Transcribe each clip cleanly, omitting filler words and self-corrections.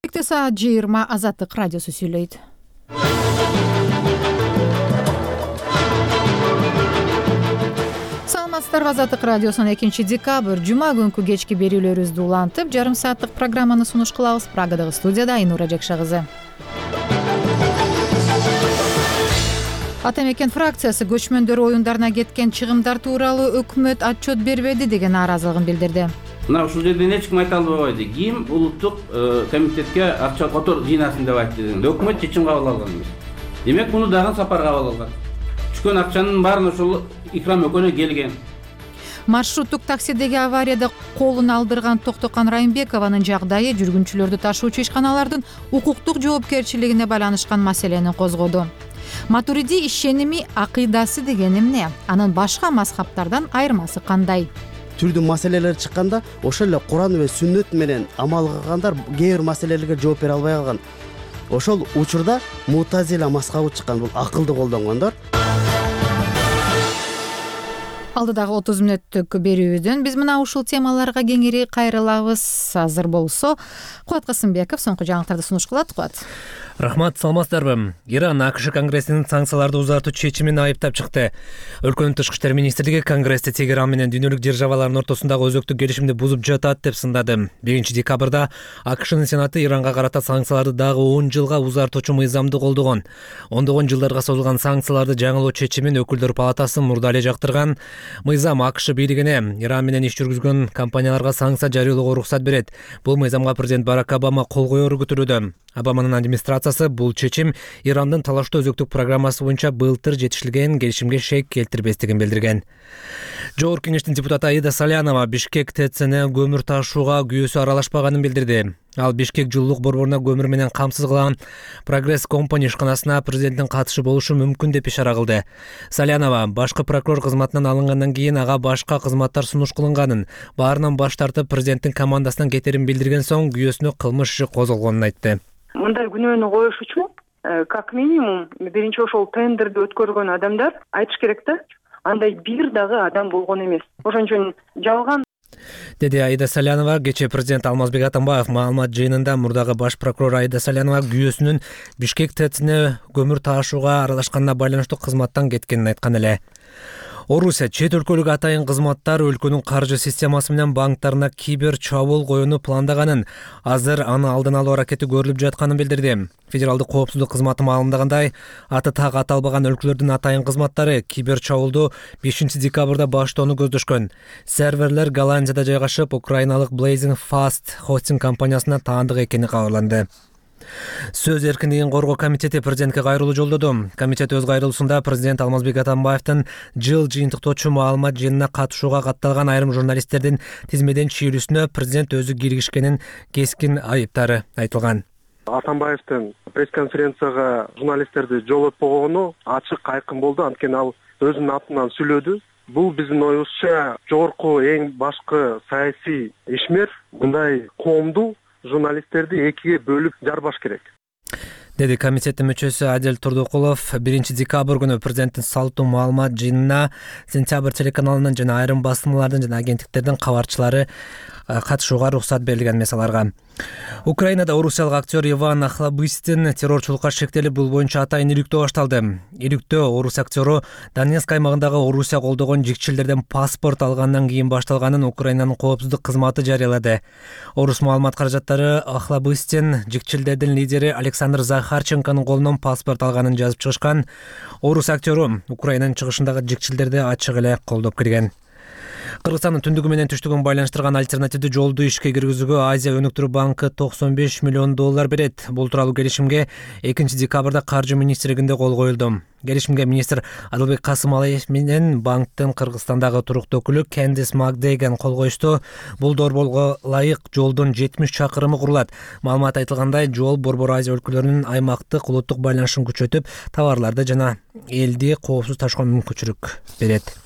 Кечкте саат 20 Азаттык радиосу сүйлөйт. Саламатсыздарбы, Азаттык радиосунун 2-декабрь жума күнкү кечки берүүлөрүбүздү улантып, жарым сааттык программаны сунуш кылабыз. Прагадагы студияда Айнура Жакша кызы. Ата мекен фракциясы көчмөндөр оюндарына кеткен чыгымдар тууралуу өкмөт отчет бербеди деген нааразылыгын билдирди. Мына ушул жерден эч ким айта албайт. Ким улуттук комитетке акча котор жыйнасын деп айтты. Өкмөт чечим кабыл алган эмес. Демек муну дагы сапар кабыл алган. Түшкөн акчанын баарын ошол Икрам экөөнө келген. Маршруттук таксидеги аварияда колун алдырган Токтокан Райымбекованын жагдайы жүргүнчүлөрдү ташуучу ишканалардын укуктук жоопкерчилигине байланышкан маселени козгоду. Матуриди ишеними, акыйдасы деген эмне? Анын башка мазхабтардан айырмасы кандай? Түрдүү маселелер чыкканда ошол эле Куран ва сүннөт менен амал кылгандар кээ бир маселелерге жооп бере албай калган. Ошол учурда Мутазила мазхабы чыккан, бул акылды колдонгондор. Алдыдагы 30 мүнөттүк берүүбүздөн биз мына ушул темаларга кеңири кайрылабыз. Азыр болсо Кубат Касымбеков соңку жаңылыктарды сунуш кылат. Кубат. Рахмат, саламатсыздарбы? Иран АКШ Конгрессинин санкцияларды узартуу чечимин айыптап чыкты. Өлкөнүн тышкы иштер министрлиги Конгрессте Тегеран менен дүйнөлүк державалардын ортосундагы өзөктүк келишимди бузуп жатат деп сындады. 1-декабрда АКШнын Сенаты Иранга карата санкцияларды дагы 10 жылга узартуучу мыйзамды колдогон. Ондогон жылдарга созулган санкцияларды жаңылоо чечимин өкүлдөр палатасы мурда эле жактырган. Мыйзам АКШ бийлигине Иран менен иш жүргүзгөн компанияларга санкция жарыялоого уруксат берет. Бул мыйзамга президент Барак Обама кол коеру күтүлүүдө. Обаманын администрациясы бул чечим Ирандын талаштуу өзөктүк программасы боюнча былтыр жетишилген келишимге шек келтирбестигин билдирген. Жогорку кеңештин депутаты Аида Салянова Бишкек ТЭЦне көмүр ташууга күйөөсү аралашпаганын билдирди. Ал Бишкек жылуулук борборуна көмүр менен камсыз кылган Прогресс компани ишканасына президенттин катышы болушу мүмкүн деп ишара кылды. Салянова башкы прокурор кызматынан алынгандан кийин ага башка кызматтар сунуш кылынганын, баарынан баш тартып президенттин командасынан кетерин билдирген соң күйөөсүнө кылмыш иши козголгонун айтты. Мындай күнөөнү коюш үчүн как минимум биринчи ошол тендерди өткөргөн адамдар айтыш керек да, андай бир дагы адам болгон эмес. Ошон үчүн жалган деди Аида Салянова. Кечээ президент Алмазбек Атамбаев маалымат жыйынында мурдагы баш прокурор Аида Салянова күйөөсүнүн Бишкек ТЭЦне көмүр ташууга аралашканына байланыштуу кызматтан кеткенин айткан эле. Орусия чет өлкөлүк атайын кызматтар өлкөнүн каржы системасы менен банктарына кибер чабуул коюуну пландаганын, азыр аны алдын алуу аракети көрүлүп жатканын билдирди. Федералдык коопсуздук кызматы маалымдагандай, аты так аталбаган өлкөлөрдүн атайын кызматтары кибер чабуулду 5-декабрда баштоону көздөшкөн. Серверлер Голландияда жайгашып, украиналык Blazing Fast хостинг компаниясына таандык экени кабарланды. Сөз эркиндигин коргоо комитети президентке кайрылуу жолдоду. Комитет өз кайрылуусунда президент Алмазбек Атамбаевдин жыл жыйынтыктоочу маалымат жыйынына катышууга катталган айрым журналисттердин тизмеден чийилүүсүнө президент өзү киргишкенин кескин айыптары айтылган. Атамбаевдин пресс-конференцияга журналисттерди жолотпогону ачык айкын болду, анткени ал өзүнүн атынан сүйлөдү. Бул биздин оюбузча жогорку эң башкы саясий ишмер мындай коомду журналисттерди экиге бөлүп жарбаш керек, деди комитеттин мүчөсү Адел Турдукулов. 1-декабрь күнү президенттин салттуу маалымат жыйынына Сентябрь телеканалынын жана айрым басылмалардын жана агенттиктердин кабарчылары катышууга уруксат берилген эмес аларга. Украинада орусиялык актер Иван Охлобыстин террорчулукка шектелип, бул боюнча атайын иликтөө башталды. Иликтөө орус актеру Донецк аймагындагы Орусия колдогон жикчилдерден паспорт алгандан кийин башталганын Украинанын коопсуздук кызматы жарыялады. Орус маалымат каражаттары Охлобыстин жикчилдердин лидери Александр Захарченконун колунан паспорт алганын жазып чыгышкан. Орус актеру Украинанын чыгышындагы жикчилдерди ачык эле колдоп кирген. Кыргызстандын түндүгү менен түштүгүн байланыштырган альтернативдүү жолду ишке киргизүүгө Азия өнүктүрүү банкы $95 миллион берет. Бул тууралуу келишимге 2-декабрда каржы министрлигинде кол коюлду. Келишимге министр Адылбек Касымалиев менен банктын Кыргызстандагы туруктуу өкүлү Кендис Макдейген кол коюшту. Бул долбоорго ылайык жолдун 70 чакырымы курулат. Маалымат айтылгандай, жол Борбор Азия өлкөлөрүнүн аймактык улуттук байланышын күчөтүп, товарларды жана элди коопсуз ташууга мүмкүнчүлүк берет.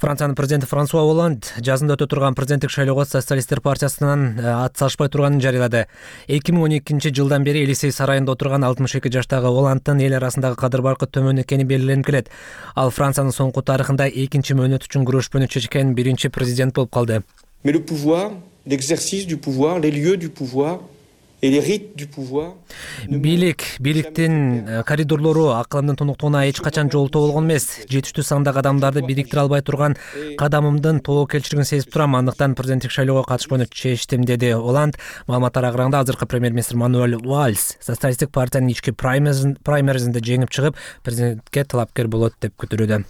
Франциянын президенти Франсуа Олланд жазында өтө турган президенттик шайлоого социалисттер партиясынан ат салышпай турганын жарыялады. 2012 жылдан бери Элисей сарайында отурган 62 жаштагы Олландтын эл арасындагы кадыр баркы төмөн экени белгиленип келет. Ал Франциянын соңку тарыхында экинчи мөөнөт үчүн күрөшпөнү чечкен биринчи президент болуп калды. Mais le pouvoir, l'exercice du pouvoir, les lieux du pouvoir бийликтин коридорлору АКЛМдын тоноктогуна эч качан жолтоо болгон эмес. Жетиштүү сандагы адамдарды бириктире албай турган кадамымдын тобокелчилигин сезип турам. Андыктан президенттик шайлоого катышпоону чечтим, деди Оланд. Маалыматтар агыраңда азыркы премьер-министр Мануэль Вальс социалисттик партиянын ички праймеризинде жеңип чыгып, президентке талапкер болот деп күтүлүүдө.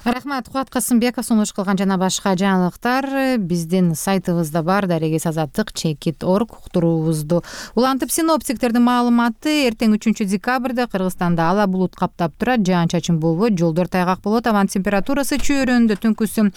Рахмат, Кубат Касымбеков сунуш кылган жана башка жаңылыктар биздин сайтыбызда бар. Дарегес азаттык chekit.org уктуруубузду улантып, синоптиктердин маалыматы эртең 3 декабрда Кыргызстанда ала булут каптап турат, жаан-чачын болбойт, жолдор тайгак болот, абанын температурасы чөйрөндө түнкүсү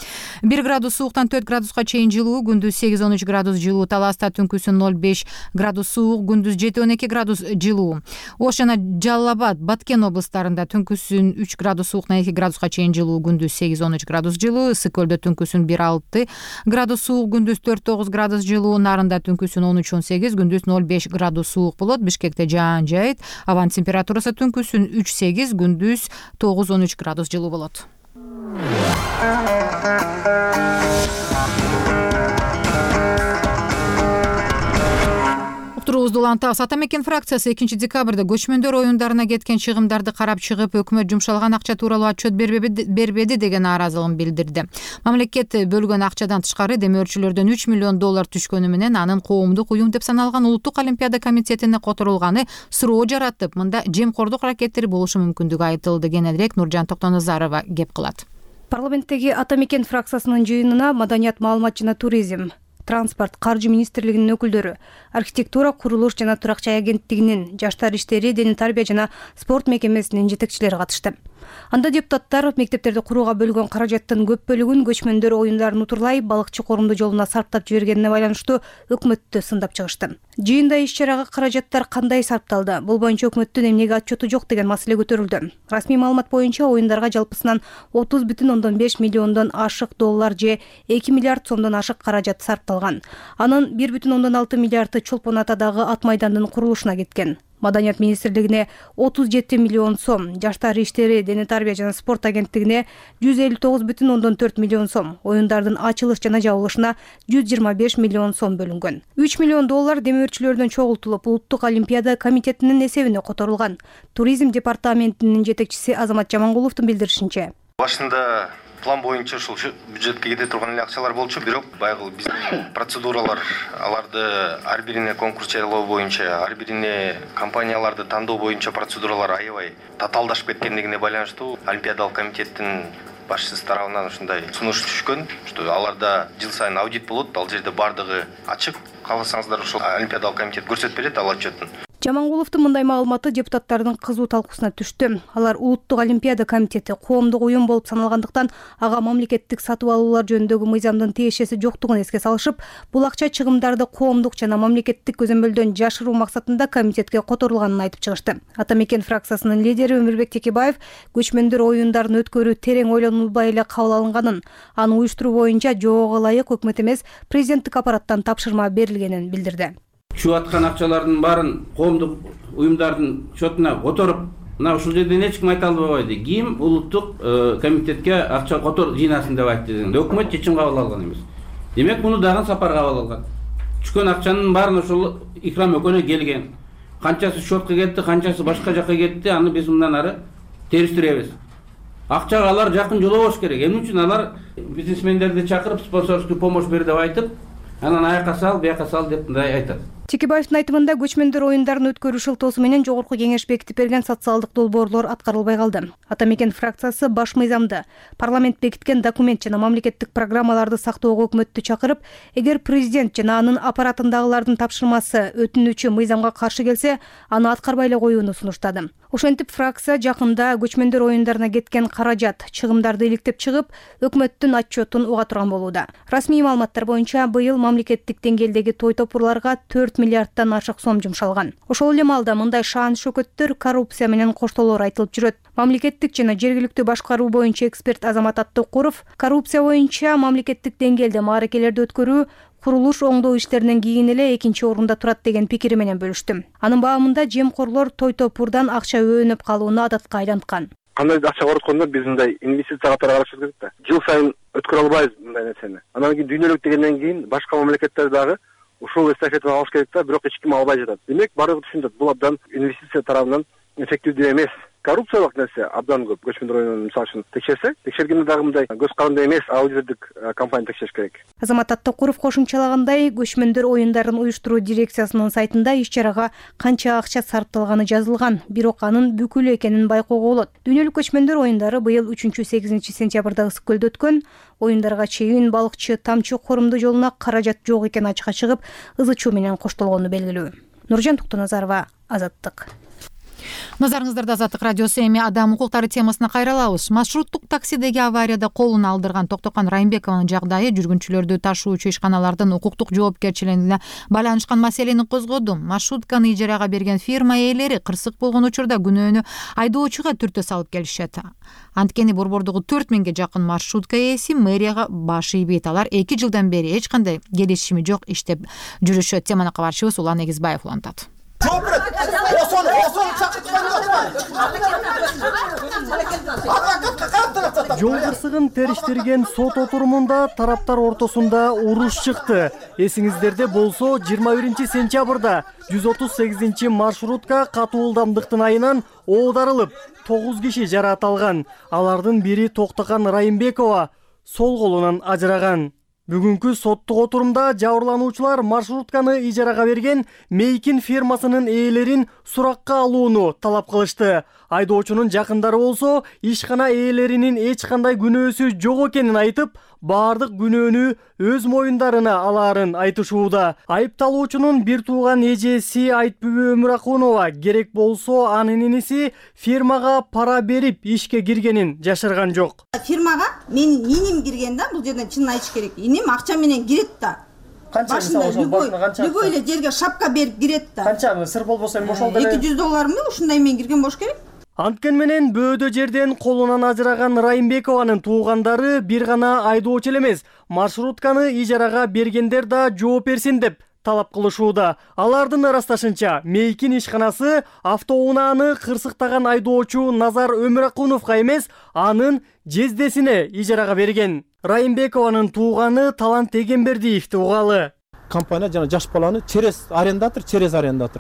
1 градус сууктан 4 градуска чейин жылуу, күндүз 8-13 градус жылуу, Таласта түнкүсү 0-5 градус суук, күндүз 7-12 градус жылуу. Ош жана Жалал Абад, Баткен облустарында түнкүсүн 3 градус сууктан 2 градуска чейин жылуу, күндүз 8-13 градус жылуу, Ысык көлдө түнкүсүн 1-6 градус суук, күндүз 4-9 градус жылуу, Нарында түнкүсүн 13-18, күндүз 0-5 градус суук болот. Бишкекте жаан жайыт, абанын температурасы түнкүсүн 3-8, күндүз 9-13 градус жылуу болот. Уктуруубузду улантабыз. Ата мекен фракциясы 2 декабрда көчмөндөр оюндарына кеткен чыгымдарды карап чыгып, өкмөт жумшалган акча тууралуу отчет бербеди деген нааразылыгын билдирди. Мамлекет бөлгөн акчадан тышкары демөөрчүлөрдөн $3 миллион түшкөнү менен анын коомдук уюм деп саналган Улуттук олимпиада комитетине которулганы суроо жаратып, мында жемкордук аракеттери болушу мүмкүндүгү айтылды. Кененирээк Нуржан Токтоназарова кеп кылат. Парламенттеги Ата мекен фракциясынын жыйынына маданият, маалымат жана туризм, транспорт, каржы министрлигинин өкүлдөрү, архитектура, курулуш жана турак жай агенттигинин, жаштар иштери, дене тарбия жана спорт мекемесинин жетекчилери катышты. Анда депутаттар мектептерди курууга бөлгөн каражаттын көп бөлүгүн көчмөндөр оюндарын утурлай балыкчы корумду жолуна сарптап жибергенине байланыштуу өкмөттү сындап чыгышты. Жыйында иш-чарага каражаттар кандай сарпталды, бул боюнча өкмөттүн эмнеге отчету жок деген маселе көтөрүлдү. Расмий маалымат боюнча оюндарга жалпысынан $30,5 миллиондон ашык доллар же 2 миллиард сомдон ашык каражат сарпталган. Анын 1,6 миллиарды Чолпон Атадагы ат майдандын курулушуна кеткен. Маданият министрлигине 37 миллион сом, жаштар иштери, дене тарбия жана спорт агенттигине 159,4 миллион сом, оюндардын ачылыш жана жабылышына 125 миллион сом бөлүнгөн. $3 миллион демөөрчүлөрдөн чогултулуп, Улуттук олимпиада комитетинин эсебине которулган. Туризм департаментинин жетекчиси Азамат Жамангуловдун билдиришинче, башында план боюнча ушул бюджетке кете турган эле акчалар болчу, бирок байгы биздин процедуралар, аларды ар бирине конкурс жарыялоо боюнча, ар бирине компанияларды тандоо боюнча процедуралар аябай татаалдашып кеткендигине байланыштуу Олимпиадалык комитеттин башчысы тарабынан ушундай сунуш түшкөн, что аларда жыл сайын аудит болот, ал жерде бардыгы ачык. Кааласаңыздар ушул Олимпиадалык комитет көрсөтүп берет ал отчетун. Жамангуловдун мындай маалыматы депутаттардын кызуу талкуусуна түштү. Алар Улуттук олимпиада комитети коомдук уюм болуп саналгандыктан ага мамлекеттик сатып алуулар жөнүндөгү мыйзамдын тиешеси жоктугун эске салышып, бул акча чыгымдарды коомдук жана мамлекеттик көзөмөлдөн жашыруу максатында комитетке которулганын айтып чыгышты. Ата мекен фракциясынын лидери Өмүрбек Текебаев көчмөндөр оюндарын өткөрүү терең ойлонулбай эле кабыл алынганын, аны уюштуруу боюнча жоого ылайык өкмөт эмес, президенттик аппараттан тапшырма берилгенин билдирди. Чыгып аткан акчалардын баарын коомдук уюмдардын счетуна которуп, мына ушул жерден эч ким айта албайт. Ким улуттук комитетке акча котор жыйнасын деп айтты. Өкмөт чечим кабыл алган эмес. Демек муну дагы сапар кабыл алган. Түшкөн акчанын баарын ошол Икрам экөөнө келген. Канчасы счетко кетти, канчасы башка жакка кетти, аны биз мындан ары териштиребиз. Акчага алар жакын жолобош керек. Эмне үчүн алар бизнесмендерди чакырып спонсорский помощь бер деп айтып, анан аяка сал, бияка сал деп мындай айтат. Текебаевдин айтымында көчмөндөр оюндарын өткөрүү шылтоосу менен жогорку кеңеш бекитип берген социалдык долбоорлор аткарылбай калды. Ата мекен фракциясы баш мыйзамды, парламент бекиткен документ жана мамлекеттик программаларды сактоого өкмөттү чакырып, эгер президент жана анын аппаратындагылардын тапшырмасы өтүнүүчү мыйзамга каршы келсе, аны аткарбай эле коюуну сунуштады. Ошентип фракция жакында көчмөндөр оюндарына кеткен каражат, чыгымдарды иликтеп чыгып, өкмөттүн отчетун уга турган болууда. Расмий маалыматтар боюнча быйыл мамлекеттик деңгээлдеги той топурларга 4 миллиардтан ашык сом жумшалган. Ошол эле маалда мындай шаан шөкөттөр коррупция менен коштолоор айтылып жүрөт. Мамлекеттик жана жергиликтүү башкаруу боюнча эксперт Азамат Аттыкуров коррупция боюнча мамлекеттик деңгээлде мааракелерди өткөрүү, курулуш оңдоо иштеринен кийин эле экинчи орунда турат деген пикири менен бөлүштү. Анын баамында жемкорлор той топурдан акча өөнөп калууну адатка айланткан. Кандай акча короткондо биз мындай инвестиция катары карашыбыз керек да. Жыл сайын өткөрө албайбыз мындай нерсени. Анан кийин дүйнөлүк дегенден кийин башка мамлекеттер дагы ушул эстафетаны алыш керек да, бирок эч ким албай жатат. Демек баардыгы түшүнөт, бул абдан инвестиция тарабынан эффективдүү эмес. Коррупциялык нерсе абдан көп. Көчмөндөр районун мисалы үчүн текшерсек, текшергенде дагы мындай көз каранды эмес аудитордук компания текшериш керек. Азамат Аттакуров кошумчалагандай, көчмөндөр оюндарын уюштуруу дирекциясынын сайтында иш-чарага канча акча сарпталганы жазылган, бирок анын бүкүлү экенин байкоого болот. Дүйнөлүк көчмөндөр оюндары быйыл 3-8 сентябрда ысык көлдө өткөн. Оюндарга чейин балыкчы Тамчы Корумду жолуна каражат жок экени ачыкка чыгып, ызы чуу менен коштолгону белгилүү. Нуржан Туктуназарова, Азаттык. Назарыңыздарда Азаттык радиосу. Эми адам укуктары темасына кайрылабыз. Маршруттук таксидеги аварияда колун алдырган Токтокан Райымбекованын жагдайы жүргүнчүлөрдү ташуучу ишканалардын укуктук жоопкерчилигине байланышкан маселени козгоду. Маршрутканы ижарага берген фирма ээлери кырсык болгон учурда күнөөнү айдоочуга түртө салып келишет. Анткени борбордогу 4000ге жакын маршрутка ээси мэрияга баш ийбейт. Алар 2 жылдан бери эч кандай келишими жок иштеп жүрүшөт. Теманы кабарчыбыз Улан Эгизбаев улантат. Жол кырсыгын териштирген сот отурумунда тараптар ортосунда уруш чыкты. Эсиңиздерде болсо, 21 сентябрда 138 маршрутка катуу ылдамдыктын айынан оодарылып, 9 киши жараат алган. Алардын бири Токтокан Райымбекова сол колунан ажыраган. Бүгүнкү соттук отурумда жабырлануучулар маршрутканы ижарага берген Мейкин фирмасынын ээлерин суракка алууну талап кылышты. Айдоочунун жакындары болсо, ишкана ээлеринин эч кандай күнөөсү жок экенин айтып, баардык күнөөнү өз моюндарына алаарын айтышууда. Айыпталуучунун бир тууган эжеси Айтбүбү Өмүракунова керек болсо анын иниси фирмага пара берип ишке киргенин жашырган жок. Фирмага менин иним кирген да, бул жерден чынын айтыш керек. Иним акча менен кирет да. Канча любой эле жерге шапка берип кирет да. Канча сыр болбосо эми ошол деле $200 ушундай мен кирген болуш керек. Анткени менен бөөдө жерден колунан ажыраган Райымбекованын туугандары бир гана айдоочу эмес, маршрутканы ижарага бергендер да жооп берсин деп талап кылышууда. Алардын ырасташынча, Мейкин ишканасы автоунааны кырсыктаган айдоочу Назар Өмүракуновго эмес, анын жездесине ижарага берген. Райымбекованын тууганы Талант Эгембердиевди угалы. Компания жана жаш баланы через арендатор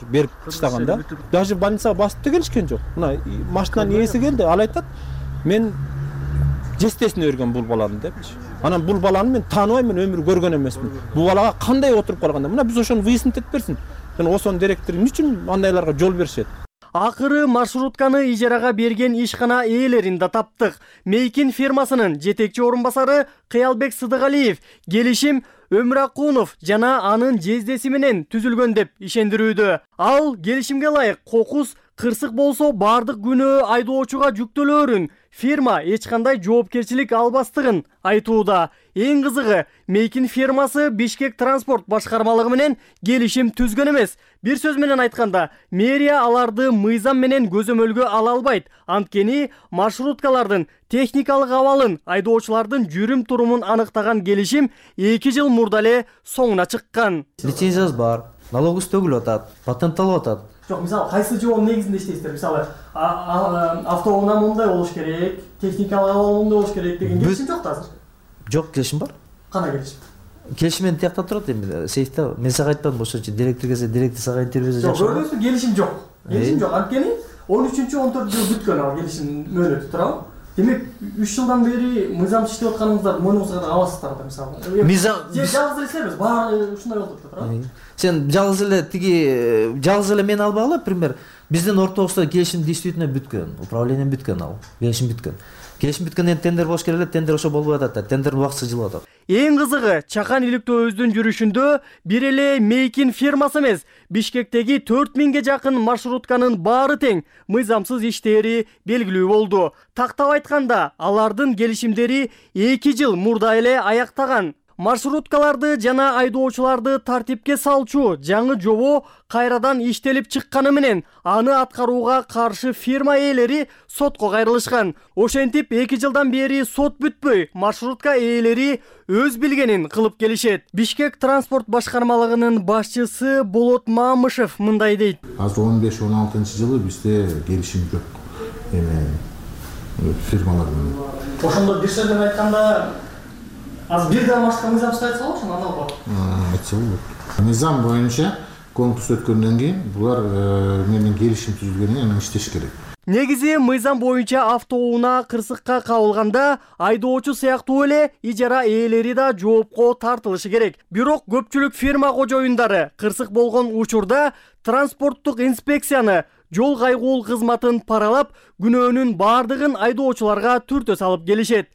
берип таштаган да. Даже больницага басып да келишкен жок. Мына машинанын ээси келди, ал айтат, мен жестесине берген бул баланы депчи. Анан бул баланы мен тааныбайм, мен өмүр көргөн эмесмин. Бул балага кандай отуруп калганда, мына биз ошону выяснить этип берсин. Жана ошонун директору эмне үчүн андайларга жол беришет? Акыры маршрутканы ижарага берген ишкана ээлерин да таптык. Мейкин фирмасынын жетекчи орун басары Кыялбек Сыдыгалиев келишим Өмүракунов жана анын жездеси менен түзүлгөн деп ишендирүүдө. Ал келишимге ылайык кокус кырсык болсо баардык күнөө айдоочуга жүктөлөөрүн, фирма эч кандай жоопкерчилик албастыгын айтууда. Эң кызыгы, Мейкин фирмасы Бишкек транспорт башкармалыгы менен келишим түзгөн эмес. Бир сөз менен айтканда, мэрия аларды мыйзам менен көзөмөлгө ала албайт. Анткени маршруткалардын техникалык абалын, айдоочулардын жүрүм турумун аныктаган келишим 2 жыл мурда эле соңуна чыккан. Лицензиясы бар, налогубуз төгүлүп атат, патентталып атат. Жок, мисалы, кайсы жоонун негизинде иштейсиздер? Мисалы, автоунаа мындай болуш керек, техникалык абал мындай болуш керек деген келишим жок азыр. Жок, келишим бар. Кандай келишим? Келишим менен тиякта турат эми, сейфте. Мен сага айтпадым, ошончо директор келсе, директор сага интервью берсе жакшы. Жок, келишим жок. Келишим жок. Анткени 13-14 жыл бүткөн ал келишим мөөнөтү туурабы? Демек 3 жылдан бери мыйзамсыз иштеп атканыңызды мойнуңузга аласыздар да, мисалы. Мыйзам жалгыз эле сиз эмес, баары ушундай болуп атат, туурабы? Сен жалгыз эле мен албагыла, пример, биздин ортобузда келишим действительно бүткөн, управление бүткөн ал, келишим бүткөн. Келишим бүткөндөн тендер болуш керек эле, тендер ошо болбой атат, тендер убактысы жылып атат. Эң кызыгы, Чакан иликтөөбүздүн жүрүшүндө бир эле Мейкин фирмасы эмес, Бишкектеги 4000ге жакын маршрутканын баары тең мыйзамсыз иштери белгилүү болду. Тактап айтканда, алардын келишимдери 2 жыл мурда эле аяктаган. Маршруткаларды жана айдоочуларды тартипке салчу жаңы жобо кайрадан иштелип чыкканы менен аны аткарууга каршы фирма ээлери сотко кайрылышкан. Ошентип 2 жылдан бери сот бүтпөй, маршрутка ээлери өз билгенин кылып келишет. Бишкек транспорт башкармалыгынын башчысы Болот Мамышев мындай дейт. Азыр 15-16 жылы бизде келишим жок. Эме фирмалар менен. Ошондо бир сөз менен айтканда, азыр бир дагы башка мыйзамчы айтса болчу, анан албап. Айтса болот. Мыйзам боюнча конкурс өткөндөн кийин булар менен келишим түзүлгөндөн кийин анан иштеш керек. Негизи мыйзам боюнча автоунаа кырсыкка кабылганда айдоочу сыяктуу эле ижара ээлери да жоопко тартылышы керек. Бирок көпчүлүк фирма кожоюндары кырсык болгон учурда транспорттук инспекцияны, жол кайгуул кызматын паралап, күнөөнүн баардыгын айдоочуларга түртө салып келишет.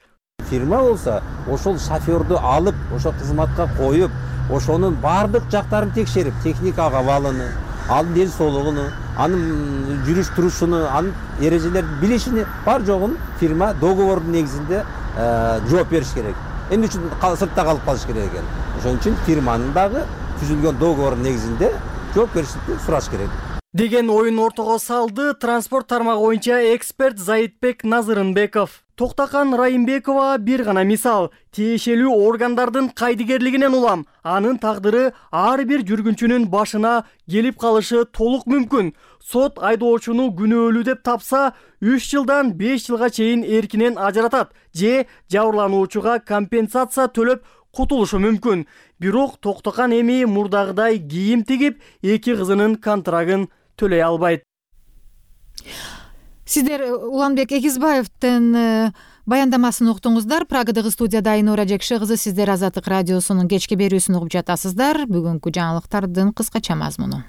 Фирма болсо ошол шоферду алып, ошо кызматка коюп, ошонун баардык жактарын текшерип, техникалык абалыны, анын ден соолугуну, анын жүрүш турушуну, анын эрежелерди билишини бар жогун фирма договордун негизинде жооп бериш керек. Эмне үчүн сыртта калып калыш керек экен? Ошон үчүн фирманын дагы түзүлгөн договордун негизинде жооп беришти сураш керек деген оюн ортого салды транспорт тармагы боюнча эксперт Заитбек Назырынбеков. Токтакан Райымбекова бир гана мисал. Тиешелүү органдардын кайдыгерлигинен улам анын тагдыры ар бир жүргүнчүнүн башына келип калышы толук мүмкүн. Сот айдоочуну күнөөлүү деп тапса 3 жылдан 5 жылга чейин эркинен ажыратат же жабырлануучуга компенсация төлөп кутулушу мүмкүн. Бирок Токтакан эми мурдагыдай кийим тигип, 2 кызынын контрагын төлөй албайт. Сиздер Уланбек Эгизбаевдин баяндамасын уктуңуздар. Прагадагы студияда Айнура Жекши кызы, сиздер Азаттык радиосунун кечки берүүсүн угуп жатасыздар. Бүгүнкү жаңылыктардын кыскача мазмуну.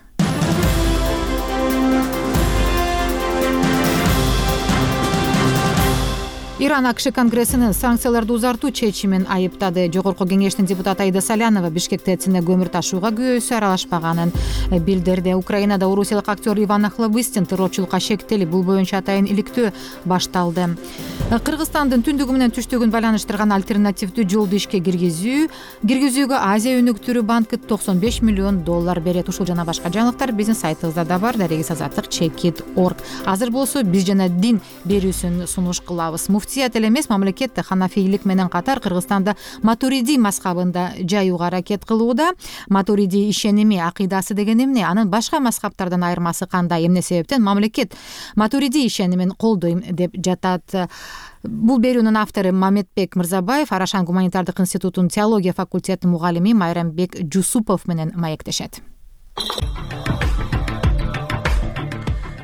Иран АКШ Конгрессинин санкцияларды узартуу чечимин айыптады. Жогорку кеңештин депутаты Аида Салянова Бишкек ТЭЦине көмүр ташууга күбөсү аралашпаганын билдирди. Украинада орусиялык актер Иван Охлобыстин террорчулукка шектелип, бул боюнча атайын иликтөө башталды. Кыргызстандын түндүгү менен түштүгүн байланыштырган альтернативдүү жолду ишке киргизүүгө Азия өнүктүрүү банкы $95 миллион берет. Ушул жана башка жаңылыктар биздин сайтыбызда да бар. Дарегиз azаттык.org. Азыр болсо биз жана дин берүүсүн сунуш кылабыз. Муфтият эле эмес, мамлекет ханафийлик менен катар Кыргызстанда Матуриди мазхабында жаюуга аракет кылууда. Матуриди ишеними, акыйдасы деген эмне? Анын башка мазхабтардан айырмасы кандай? Эмне себептен мамлекет Матуриди ишенимин колдойм деп жатат? Бул берүүнүн автору Мамедбек Мырзабаев Арашан гуманитардык институтунун теология факультетинин мугалими Майрамбек Жусупов менен маектешет.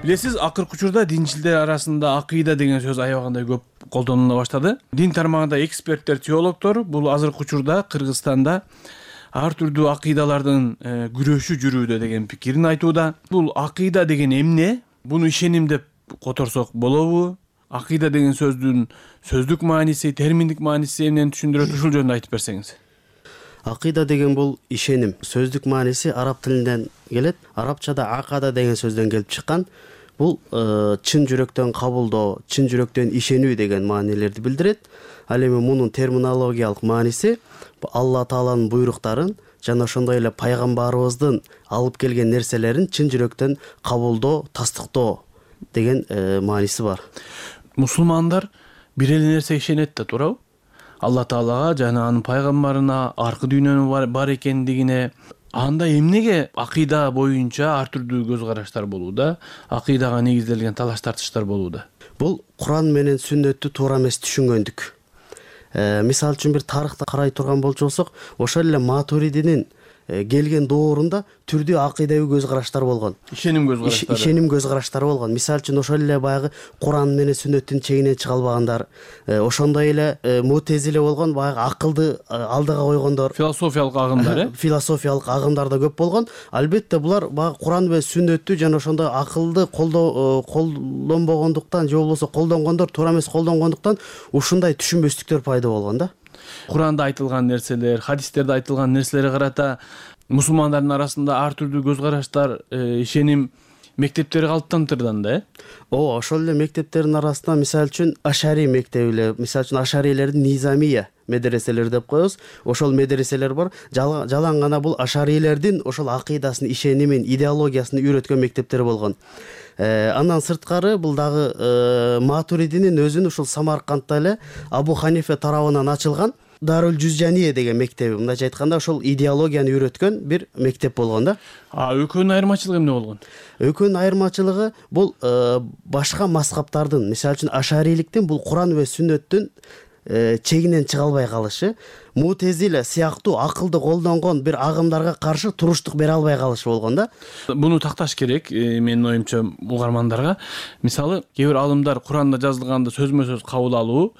Билесиз, акыркы учурда динчилдер арасында акыйда деген сөз аябагандай көп колдонула баштады. Дин тармагында эксперттер, теологдор бул азыркы учурда Кыргызстанда ар түрдүү акыйдалардын күрөшү жүрүүдө деген пикирин айтууда. Бул акыйда деген эмне? Буну ишеним деп которсок болобу? Акыйда деген сөздүн сөздүк мааниси, терминдик мааниси эмнени түшүндүрөт? Ушул жөнүндө айтып берсеңиз. Акыйда деген бул ишеним. Сөздүк мааниси араб тилинен келет. Арабчада акада деген сөздөн келип чыккан. Бул чын жүрөктөн кабылдоо, чын жүрөктөн ишенүү деген маанилерди билдирет. Ал эми мунун терминологиялык мааниси Алла Тааланын буйруктарын жана ошондой эле пайгамбарыбыздын алып келген нерселерин чын жүрөктөн кабылдоо, тастыктоо деген мааниси бар. Мусулмандар бир эле нерсеге ишенет да, туурабы? Алла Таалага жана анын пайгамбарына, аркы дүйнөнүн бар экендигине. Анда эмнеге акыйда боюнча ар түрдүү көз караштар болууда, акыйдага негизделген талаш тартыштар болууда? Бул Куран менен сүннөттү туура эмес түшүнгөндүк. Мисалы үчүн бир тарыхты карай турган болсок, ошол эле Матуридинин келген доорунда түрдүү акыйдабый көз караштар болгон. Ишеним көз караштары болгон. Мисалы үчүн ошол эле баягы Куран менен сүннөттүн чегинен чыга албагандар, ошондой эле Мутезиле болгон, баягы акылды алдыга койгондор. Философиялык агымдар, Философиялык агымдар да көп болгон. Албетте булар баягы Куран менен сүннөттү жана ошондой акылды колдонбогондуктан же болбосо колдонгондор туура эмес колдонгондуктан ушундай түшүнбөстүктөр пайда болгон да. Куранда айтылган нерселер, хадистерде айтылган нерселерге карата мусулмандардын арасында ар түрдүү көз караштар, ишеним мектептери калыптантырдан да, Ооба, ошол эле мектептердин арасында мисалы үчүн Ашари мектеби, мисалы үчүн Ашарилердин Низамия медреселери деп коебуз. Ошол медреселер бар. Жалаң гана бул Ашарилердин ошол акыйдасын, ишенимин, идеологиясын үйрөткөн мектептер болгон. Андан сырткары бул дагы Матуридинин өзүнүн ушул Самаркандда эле Абу Ханифе тарабынан ачылган Дарул Жузжания деген мектеби. Мындайча айтканда ошол идеологияны үйрөткөн бир мектеп болгон да. Экөөнүн айырмачылыгы эмне болгон? Экөөнүн айырмачылыгы бул башка мазхабтардын, мисалы үчүн Ашариликтин бул Куран ва сүннөттүн чегинен чыга албай калышы, мутезиле сыяктуу акылды колдонгон бир агымдарга каршы туруштук бере албай калышы болгон да. Буну такташ керек менин оюмча угармандарга. Мисалы, кээ бир алымдар Куранда жазылганды сөзмө сөз кабыл алуу,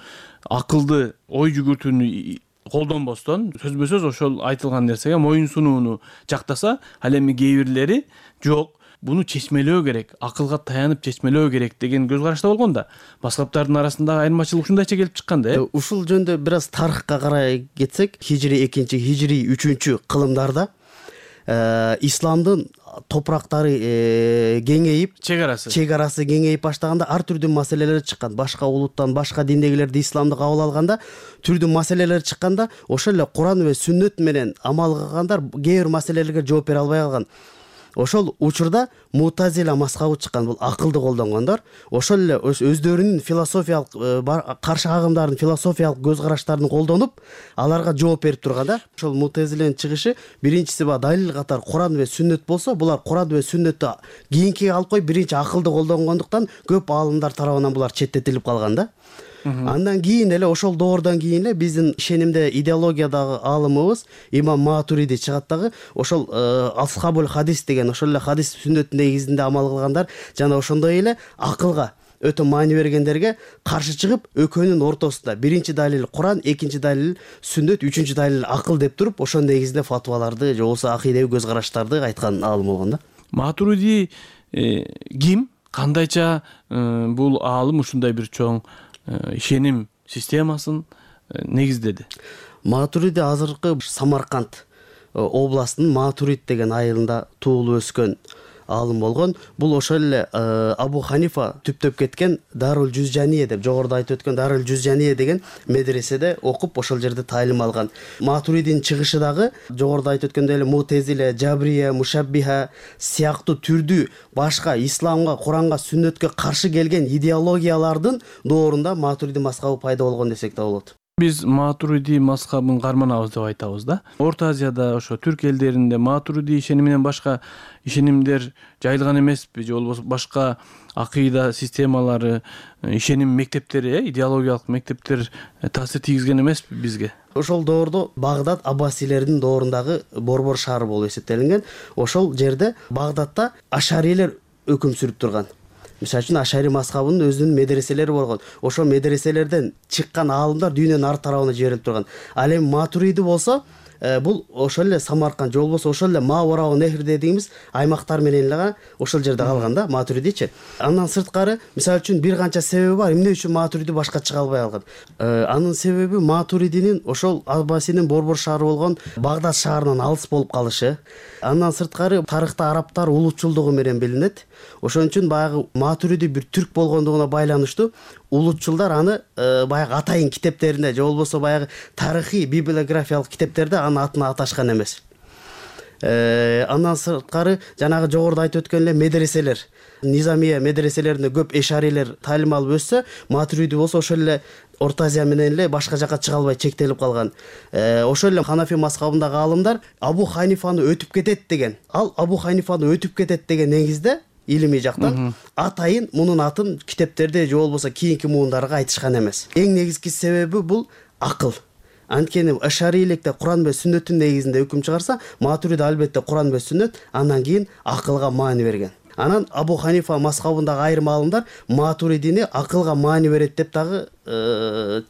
акылды ой жүгүртүүнү колдонбостон сөзбө сөз ошол айтылган нерсеге моюн сунууну жактаса, ал эми кээ бирлери жок, буну чечмелөө керек, акылга таянып чечмелөө керек деген көз карашта болгон да. Маскаптардын арасындагы айырмачылык ушундайча келип чыккан да. Ушул жөнүндө бир аз тарыхка карай кетсек, хижри 2, хижри 3 кылымдарда исламдын топурактары кеңейип, чек арасы кеңейип баштаганда ар түрдүү маселелер чыккан. Башка улуттан, башка диндегилерди исламды кабыл алганда түрдүү маселелер чыкканда, ошол эле Куран ва сүннөт менен амал кылгандар кээ бир маселелерге жооп бере албай калган. Ошол учурда мутазила мазхабы чыккан, бул акылды колдонгондор. Ошол эле өздөрүнүн философиялык каршы агымдардын философиялык көз караштарын колдонуп, аларга жооп берип турган да. Ошол мутазиленин чыгышы биринчиси далил катары Куран ва сүннөт болсо, булар Куран ва сүннөттү кийинкиге алып коюп, биринчи акылды колдонгондуктан көп аалымдар тарабынан булар четтетилип калган да. Андан кийин эле ошол доордон кийин эле биздин ишенимде идеологиядагы аалымыбыз Имам Матуриди чыгат дагы. Ошол асхабул хадис деген, ошол эле хадис сүннөттүн негизинде амал кылгандар жана ошондой эле акылга өтө маани бергендерге каршы чыгып, экөөнүн ортосунда биринчи далил Куран, экинчи далил сүннөт, үчүнчү далил акыл деп туруп, ошонун негизинде фатваларды же болбосо акыйдеви көз караштарды айткан аалым болгон да. Матуриди ким, кандайча бул аалым ушундай бир чоң ишеним системасын негиздеди? Матуриди азыркы Самарканд областынын Матурид деген айылында туулуп өскөн аалым болгон. Бул ошол эле Абу Ханифа түптөп кеткен Дарул Жузжания деп, жогоруда айтып өткөн Дарул Жузжания деген медреседе окуп, ошол жерде таалим алган. Матуридин чыгышы дагы жогоруда айтып өткөндөй эле Мутезиле, Жабрия, Мушаббиха сыяктуу түрдүү башка исламга, Куранга, сүннөткө каршы келген идеологиялардын доорунда Матуриди мазхабы пайда болгон десек да болот. Биз Матуриди мазхабын карманабыз деп айтабыз да. Орто Азияда, ошо түрк элдеринде Матуриди ишениминен башка ишенимдер жайылган эмеспи, же болбосо башка акыйда системалары, ишеним мектептери, идеологиялык мектептер таасир тийгизген эмеспи бизге? Ошол доордо Багдад аббасилердин доорундагы борбор шаары болуп эсептелинген. Ошол жерде Багдадта ашарилер өкүм сүрүп турган. Мисалы үчүн Ашари мазхабынын өзүнүн медреселери болгон. Ошол медреселерден чыккан аалымдар дүйнөнүн ар тарабына жиберилип турган. Ал эми Матуриди болсо, бул ошол эле Самарканд же болбосо ошол эле Маварау Нехр дегенибиз аймактар менен эле ошол жерде калган да Матуридичи. Андан сырткары, мисалы үчүн бир канча себеби бар, эмне үчүн Матуриди башка чыга албай калган. Анын себеби Матуридинин ошол Аббасинин борбор шаары болгон Багдад шаарынан алыс болуп калышы. Андан сырткары тарыхта арабтар улутчулдугу менен билинет. Ошон үчүн баягы Матуриди бир түрк болгондугуна байланыштуу улутчулдар аны баягы атайын китептеринде же болбосо баягы тарыхый библиографиялык китептерде анын атын аташкан эмес. Андан сырткары жанагы жогоруда айтып өткөн эле медреселер, Низамия медреселеринде көп эшарилер таалим алып өссө, Матуриди болсо ошол эле Орто Азия менен эле башка жака чыга албай чектелип калган. Ошол эле Ханафи мазхабындагы аалымдар Абу Ханифаны өтүп кетет деген. Ал Абу Ханифаны өтүп кетет деген негизде илимий жактан атайын мунун атын китептерде же болбосо кийинки муундарга айтышкан эмес. Эң негизги себеби бул акыл. Анткени ашариликте Куран ва сүннөттүн негизинде өкүм чыгарса, Матуриди албетте Куран ва сүннөт, андан кийин акылга маани берген. Анан Абу Ханифа мазхабындагы айрым аалымдар Матуридини акылга маани берет деп дагы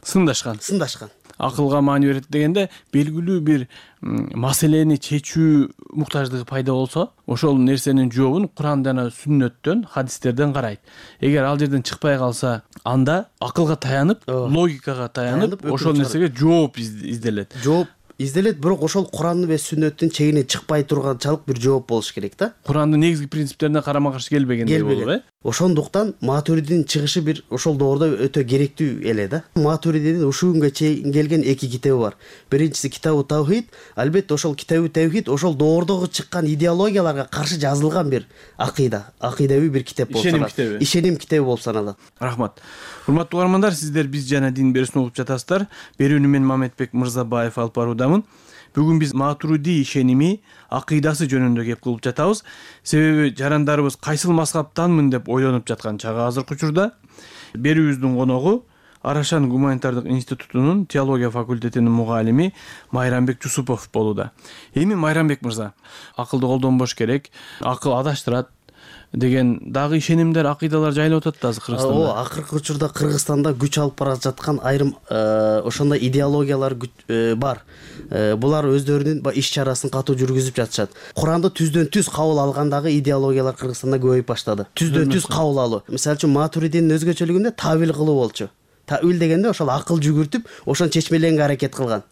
сындашкан. Акылга маани берет дегенде белгилүү бир маселени чечүү муктаждыгы пайда болсо, ошол нерсенин жообун Куран жана сүннөттөн, хадистерден карайт. Эгер ал жерден чыкпай калса, анда акылга таянып, логикага таянып, ошол нерсеге жооп изделет. Жооп изделет, бирок ошол Куран ва сүннөттүн чегинен чыкпай турганчалык бир жооп болуш керек да. Курандын негизги принциптерине карама-каршы келбегендей болуп, Ошондуктан Матуридинин чыгышы бир ошол доордо өтө керектүү эле да. Матуридинин ушул күнгө чейин келген эки китеби бар. Биринчиси Китабу Тавхид, албетте ошол Китабу Тавхид ошол доордогу чыккан идеологияларга каршы жазылган бир акыйдеви бир китеп болуп саналат. Ишеним китеби болуп саналат. Рахмат. Урматтуу угармандар, сиздер Биз жана дин берүүсүн угуп жатасыздар. Берүүнү мен Мамедбек Мырзабаев алып баруудамын. Бүгүн биз Матуриди ишеними, акыйдасы жөнүндө кеп кылып жатабыз. Себеби жарандарыбыз кайсыл мазхабтанмын деп ойлонуп жаткан чагы азыркы учурда. Берүүбүздүн коногу Арашан гуманитардык институтунун теология факультетинин мугалими Майрамбек Жусупов болууда. Эми Майрамбек мырза, акылды колдонбош керек, акыл адаштырат деген дагы ишенимдер, акыйдалар жайылып атат да азыр Кыргызстанда. Акыркы учурда Кыргызстанда күч алып бара жаткан айрым ошондой идеологиялар бар. Булар өздөрүнүн иш чарасын катуу жүргүзүп жатышат. Куранды түздөн түз кабыл алгандагы идеологиялар Кыргызстанда көбөйүп баштады. Түздөн түз кабыл алуу. Мисалы үчүн Матуридинин өзгөчөлүгүндө тавил кылуу болчу. Тавил дегенде ошол акыл жүгүртүп, ошону чечмеленге аракет кылган.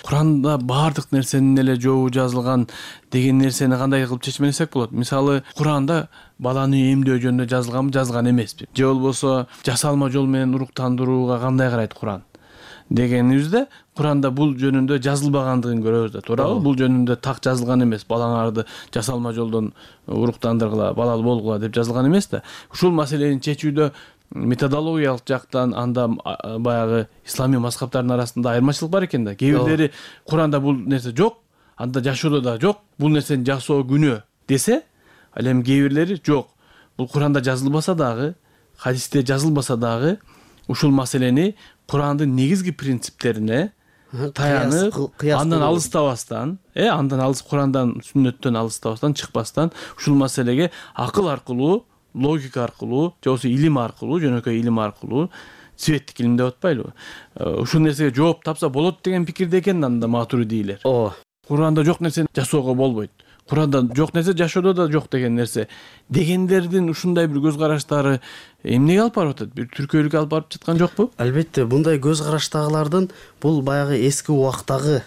Куранда баардык нерсенин эле жообу жазылган деген нерсени кандай кылып чечмелесек болот? Мисалы, Куранда баланы эмдөө жөнүндө жазылганбы, жазылган эмеспи? Же болбосо жасалма жол менен уруктандырууга кандай карайт Куран дегенибизде, Куранда бул жөнүндө жазылбагандыгын көрөбүз да, туурабы? Бул жөнүндө так жазылган эмес. Балаңарды жасалма жолдон уруктандыргыла, балалуу болгула деп жазылган эмес да. Ушул маселени чечүүдө методологиялык жактан анда баягы исламий мазхабтардын арасында айырмачылык бар экен да. Кээ бирлери Куранда бул нерсе жок, анда жашоодо да жок, бул нерсени жасоо күнөө десе, ал эми кээ бирлери жок. Бул Куранда жазылбаса дагы, хадисте жазылбаса дагы ушул маселени Курандын негизги принциптерине таянып, андан алыстабастан, Курандан, сүннөттөн алыстабастан, чыкпастан ушул маселеге акыл аркылуу, логика аркылуу, же болбосо илим аркылуу, жөнөкөй илим аркылуу, светтик илим деп атпайлыбы? Ушул нерсеге жооп тапса болот деген пикирде экен анда матуридийлер. Куранда жок нерсени жасоого болбойт. Куранда жок нерсе жашоодо да жок деген нерсе. Дегендердин ушундай бир көз караштары эмнеге алып барып атат? Бир түркөйлүккө алып барып жаткан жокпу? Албетте, мындай көз караштагылардын бул баягы эски убактагы,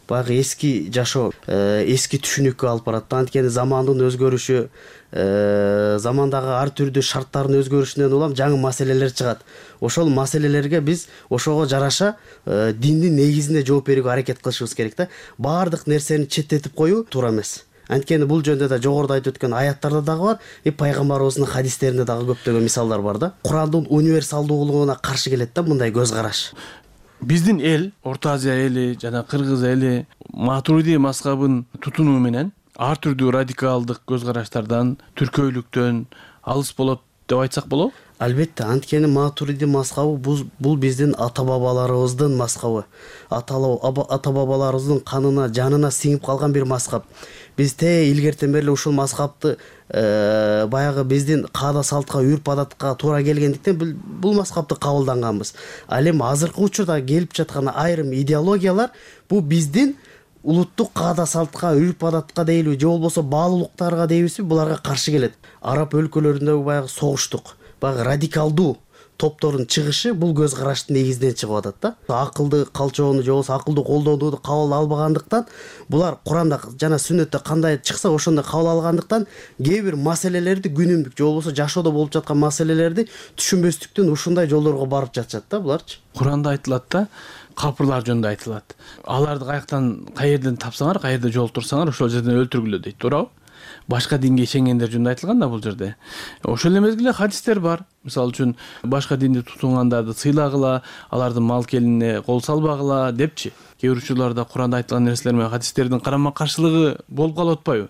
баягы эски жашоо, эски түшүнүккө алып барат. Анткени замандын өзгөрүшү, замандагы ар түрдүү шарттардын өзгөрүшүнөн улам жаңы маселелер чыгат. Ошол маселелерге биз ошого жараша диндин негизинде жооп берүүгө аракет кылышыбыз керек да. Баардык нерсени четтетип коюу туура эмес. Анткени бул жөнүндө да жогоруда айтып өткөн аяттарда дагы бар, пайгамбарыбыздын хадистеринде дагы көптөгөн мисалдар бар да. Курандын универсалдуулугуна каршы келет да мындай көз караш. Биздин эл, Орто Азия эли жана Кыргыз эли матуриди мазхабын тутунуу менен ар түрдүү радикалдык көз караштардан, түркөйлүктөн алыс болот деп айтсак болобу? Албетте, анткени матуриди мазхабы бул биздин ата-бабаларыбыздын мазхабы. Ата-бабаларыбыздын канына, жанына сиңип калган бир мазхаб. Биз илгертен бери ушул мазхабты баягы биздин каада салтка, үрп-адатка туура келгендиктен бул мазхабты кабылданганбыз. Ал эми азыркы учурда келип жаткан айрым идеологиялар бул биздин улуттук каада салтка, үрп-адатка дейли, же болбосо баалуулуктарга дейбизби, буларга каршы келет. Араб өлкөлөрүндөгү баягы согуштук, баягы радикалдуу топтордун чыгышы бул көз караштын негизинен чыгып атат да. Акылды калчоону же болбосо акылды колдонууну кабыл албагандыктан, булар Куранда жана сүннөттө кандай чыкса ошондой кабыл алгандыктан, кээ бир маселелерди күнүмдүк же болбосо жашоодо болуп жаткан маселелерди түшүнбөстүктөн ушундай жолдорго барып жатышат да буларчы. Куранда айтылат да, капырлар жөнүндө айтылат. Аларды каерден тапсаңар, каерде жолтурсаңар, ошол жерден өлтүргүлө дейт, туурабы? Башка динге ишенгендер жөнүндө айтылган да бул жерде. Ошол эле мезгилде хадистер бар. Мисалы үчүн башка динди тутунгандарды сыйлагыла, алардын мал келине кол салбагыла депчи. Кээ бир учурларда Куранда айтылган нерселер менен хадистердин карама каршылыгы болуп калып атпайбы?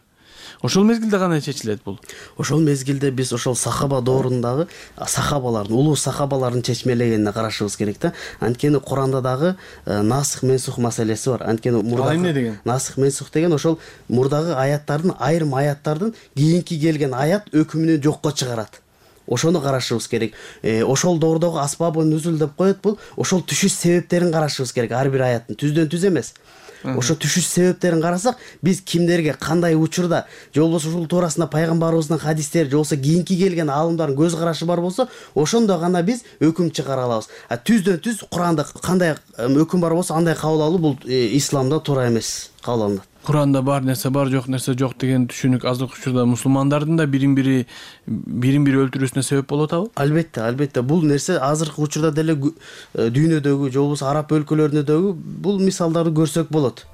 Ошол мезгилде кандай чечилет бул? Ошол мезгилде биз ошол сахаба доорундагы сахабалардын, улуу сахабалардын чечмелегенине карашыбыз керек да. Анткени Куранда дагы насых менсух маселеси бар. Анткени мурда эмне деген? Насых менсух деген ошол мурдагы аяттардын, айрым аяттардын кийинки келген аят өкүмүнү жокко чыгарат. Ошону карашыбыз керек. Ошол доордогу асбабы нүзүл деп коет бул. Ошол түшүш себептерин карашыбыз керек ар бир аяттын. Түздөн түз эмес. Ошо түшүш себептерин карасак, биз кимдерге кандай учурда, же болбосо ушул туурасында пайгамбарыбыздын хадистери, же болбосо кийинки келген аалымдардын көз карашы бар болсо, ошондо гана биз өкүм чыгара алабыз. Түздөн түз Куранда кандай өкүм бар болсо андай кабыл алуу бул исламда туура эмес кабыл алынат. Куранда бар нерсе бар, жок нерсе жок деген түшүнүк азыркы учурда мусулмандардын да бирин бири өлтүрүүсүнө себеп болуп атабы? Албетте, албетте. Бул нерсе азыркы учурда деле дүйнөдөгү, же болбосо араб өлкөлөрүндөгү бул мисалдарды көрсөк болот.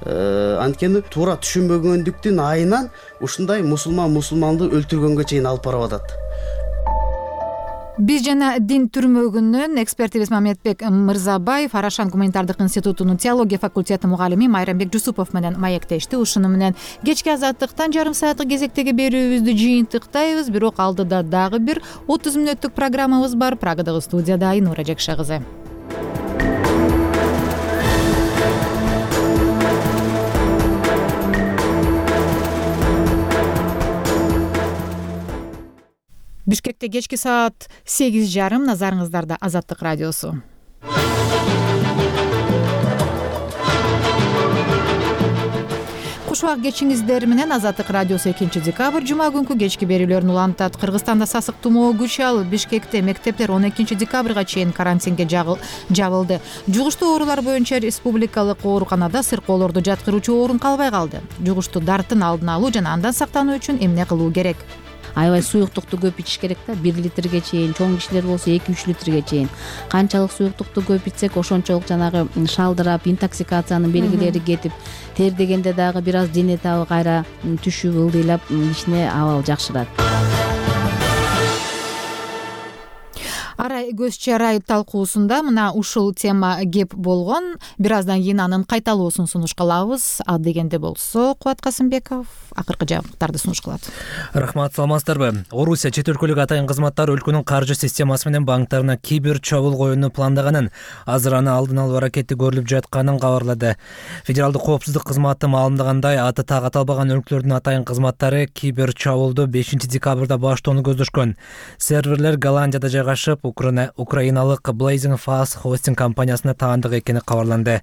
Анткени туура түшүнбөгөндүктүн айынан ушундай мусулманды өлтүргөнгө чейин алып барып атат. Биз жана дин түрмөгүнөн экспертибиз Мамедбек Мырзабаев, Арашан гуманитардык институтунун теология факультети мугалими Майрамбек Жусупов менен маектешти. Ушуну менен кечки азаттыктан жарым сааттык кезектеги берүүбүздү жыйынтыктайбыз. Бирок алдыда дагы бир 30 мүнөттүк программабыз бар. Прагадагы студияда Айнура Жакша кызы. Бишкекте кечки саат 8:30. Назарыңыздарда Азаттык радиосу. Куш убак кечиңиздер менен Азаттык радиосу 2-декабрь жума күнкү кечки берүүлөрүн улантат. Кыргызстанда сасык тумоо күч алып, Бишкекте мектептер 12-декабрга чейин карантинге жабылды. Жугуштуу оорулар боюнча республикалык ооруканада сыркоолорду жаткыруучу орун калбай калды. Жугуштуу дарттын алдын алуу жана андан сактануу үчүн эмне кылуу керек? Аябай суюктукту көп ичиш керек да, 1 литрге чейин, чоң кишилер болсо 2-3 литрге чейин. Канчалык суюктукту көп ичсек, ошончолук жанагы шалдырап, интоксикациянын белгилери кетип, тердегенде дагы бир аз дене табы кайра түшүп, ылдыйлап, кичине абал жакшырат. Арай көз чарай талкуусунда мына ушул тема кеп болгон. Бир аздан кийин анын кайталоосун сунуш кылабыз. А дегенде болсо Кубат Касымбеков акыркы жаңылыктарды сунуш кылат. Рахмат, саламатсыздарбы? Орусия чет өлкөлүк атайын кызматтары өлкөнүн каржы системасы менен банктарына кибер чабуул коюуну пландаганын, азыр аны алдын алуу аракети көрүлүп жатканын кабарлады. Федералдык коопсуздук кызматы маалымдагандай, аты так аталбаган өлкөлөрдүн атайын кызматтары кибер чабуулду 5-декабрда баштоону көздөшкөн. Серверлер Голландияда жайгашып, украиналык Blazing Fast хостинг компаниясына таандык экени кабарланды.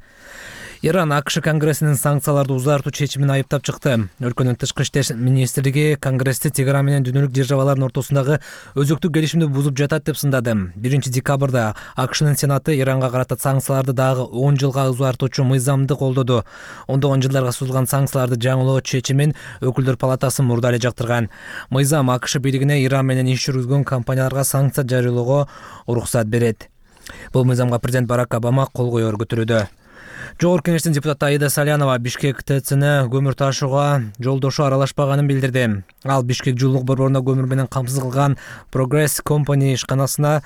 Иран АКШ Конгрессинин санкцияларды узартуу чечимин айыптап чыкты. Өлкөнүн тышкы иштер министрлиги Конгрессти Тегеран менен дүйнөлүк державалардын ортосундагы өзөктүк келишимди бузуп жатат деп сындады. 1-декабрда АКШнын Сенаты Иранга карата санкцияларды дагы 10 жылга узартуучу мыйзамды колдоду. Ондогон жылдарга созулган санкцияларды жаңылоо чечимин өкүлдөр палатасы мурда эле жактырган. Мыйзам АКШ бийлигине Иран менен иш жүргүзгөн компанияларга санкция жарыялоого уруксат берет. Бул мыйзамга президент Барак Обама кол коюу көргөтүлүүдө. Жогорку кеңештин депутаты Аида Салянова Бишкек ТЦны көмүр ташууга жолдошу аралашпаганын билдирди. Ал Бишкек жылуулук борборуна көмүр менен камсыз кылган Progress Company ишканасына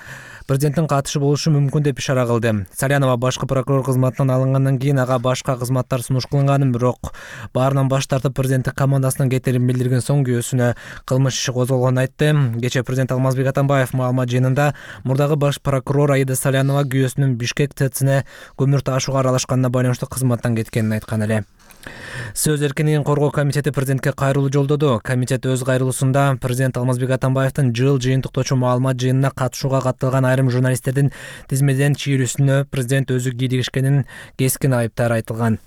президенттин катышы болушу мүмкүн деп ишара кылды. Салянова башкы прокурор кызматынан алынгандан кийин ага башка кызматтар сунуш кылынганын, бирок баарынан баш тартып президенттик командасынын кетерин билдирген соң күйөөсүнө кылмыш иши козголгонун айтты. Кечээ президент Алмазбек Атамбаев маалымат жыйынында мурдагы баш прокурор Аида Салянова күйөөсүнүн Бишкек ТЦны көмүр ташууга аралашканына байланыштуу кызматтан кеткенин айткан эле. Сөз эркиндигин коргоо комитети президентке кайрылуу жолдоду. Комитет өз кайрылуусунда президент Алмазбек Атамбаевдин жыл жыйынтыктоочу маалымат жыйынына катышууга катталган айрым журналисттердин тизмеден чийрүүсүнө президент өзү кийлигишкенин кескин айыптар айтылган.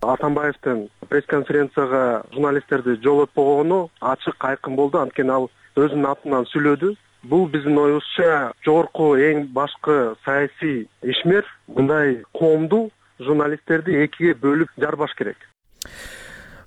Атамбаевдин пресс-конференцияга журналисттерди жолотпогону ачык айкын болду, анткени ал өзүнүн атынан сүйлөдү. Бул биздин оюбузча жогорку эң башкы саясий ишмер мындай коомду, журналисттерди экиге бөлүп жарбаш керек.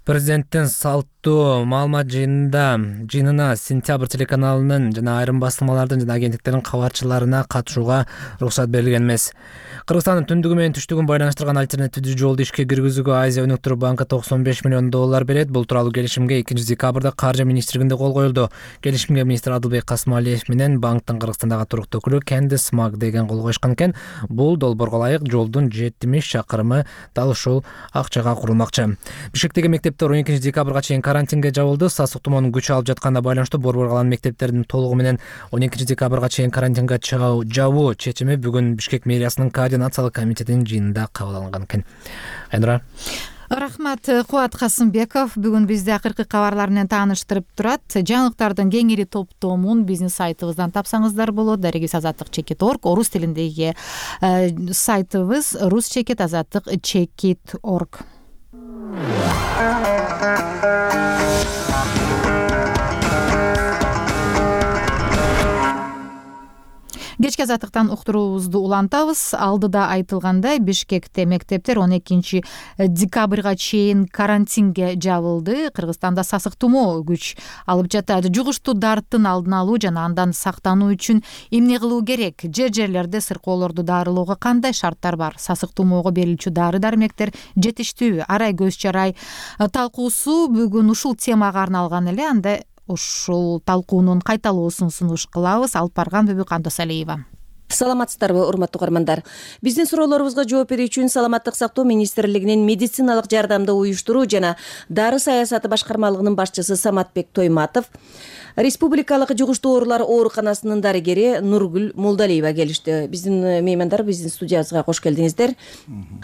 Президенттин салттуу маалымат жыйынына Сентябрь телеканалынын жана айрым басылмалардын жана агенттиктердин кабарчыларына катышууга уруксат берилген эмес. Кыргызстандын түндүгү менен түштүгүн байланыштырган альтернативдүү жолду ишке киргизүүгө Азия өнүктүрүү банкы $95 миллион берет. Бул тууралуу келишимге 2-декабрда Каржы министрлигинде кол коюлду. Келишимге министр Адылбек Касмалиев менен банктын Кыргызстандагы туруктуу өкүлү Кендис Макдеген кол коюшкан экен. Бул долбоорго ылайык жолдун 70 чакырымы дал ушул акчага курулмакчы. Бишкектеги мектептер 12-декабрга чейин карантинге жабылды. Сасык тумоонун күч алып жатканына байланыштуу борбор калган мектептердин толугу менен 12-декабрга чейин карантинге жабуу чечими бүгүн Бишкек мэриясынын координациялык комитетинин жыйынында кабыл алынган экен. Айнура. Рахмат, Кубат Касымбеков бүгүн бизди акыркы кабарлар менен тааныштырып турат. Жаңылыктардын кеңири топтомун биздин сайтыбыздан тапсаңыздар болот. Дарегиз-азаттык.org, орус тилиндеги сайтыбыз rus-azattik.org. Кечки азаттыктан уктуруубузду улантабыз. Алдыда айтылгандай, Бишкекте мектептер 12-декабрга чейин карантинге жабылды. Кыргызстанда сасык тумоо күч алып жатат. Жугуштуу дарттын алдын алуу жана андан сактануу үчүн эмне кылуу керек? Жерлерде сыркоолорду дарылоого кандай шарттар бар? Сасык тумоого берилчү дары-дармектер жетиштүүбү? Арай көз чарай талкуусу бүгүн ушул темага арналган эле. Анда ушул талкуунун кайталоосун сунуш кылабыз. Алып барган Бүбү Кандосалиева. саламатсыздарбы урматтуу угармандар? Биздин суроолорубузга жооп берүү үчүн Саламаттык сактоо министрлигинин медициналык жардамды уюштуруу жана дары саясаты башкармалыгынын башчысы Саматбек Тойматов, Республикалык жугуштуу оорулар ооруканасынын дарыгери Нургүл Молдалиева келишти. Биздин меймандар биздин студиябызга кош келдиңиздер.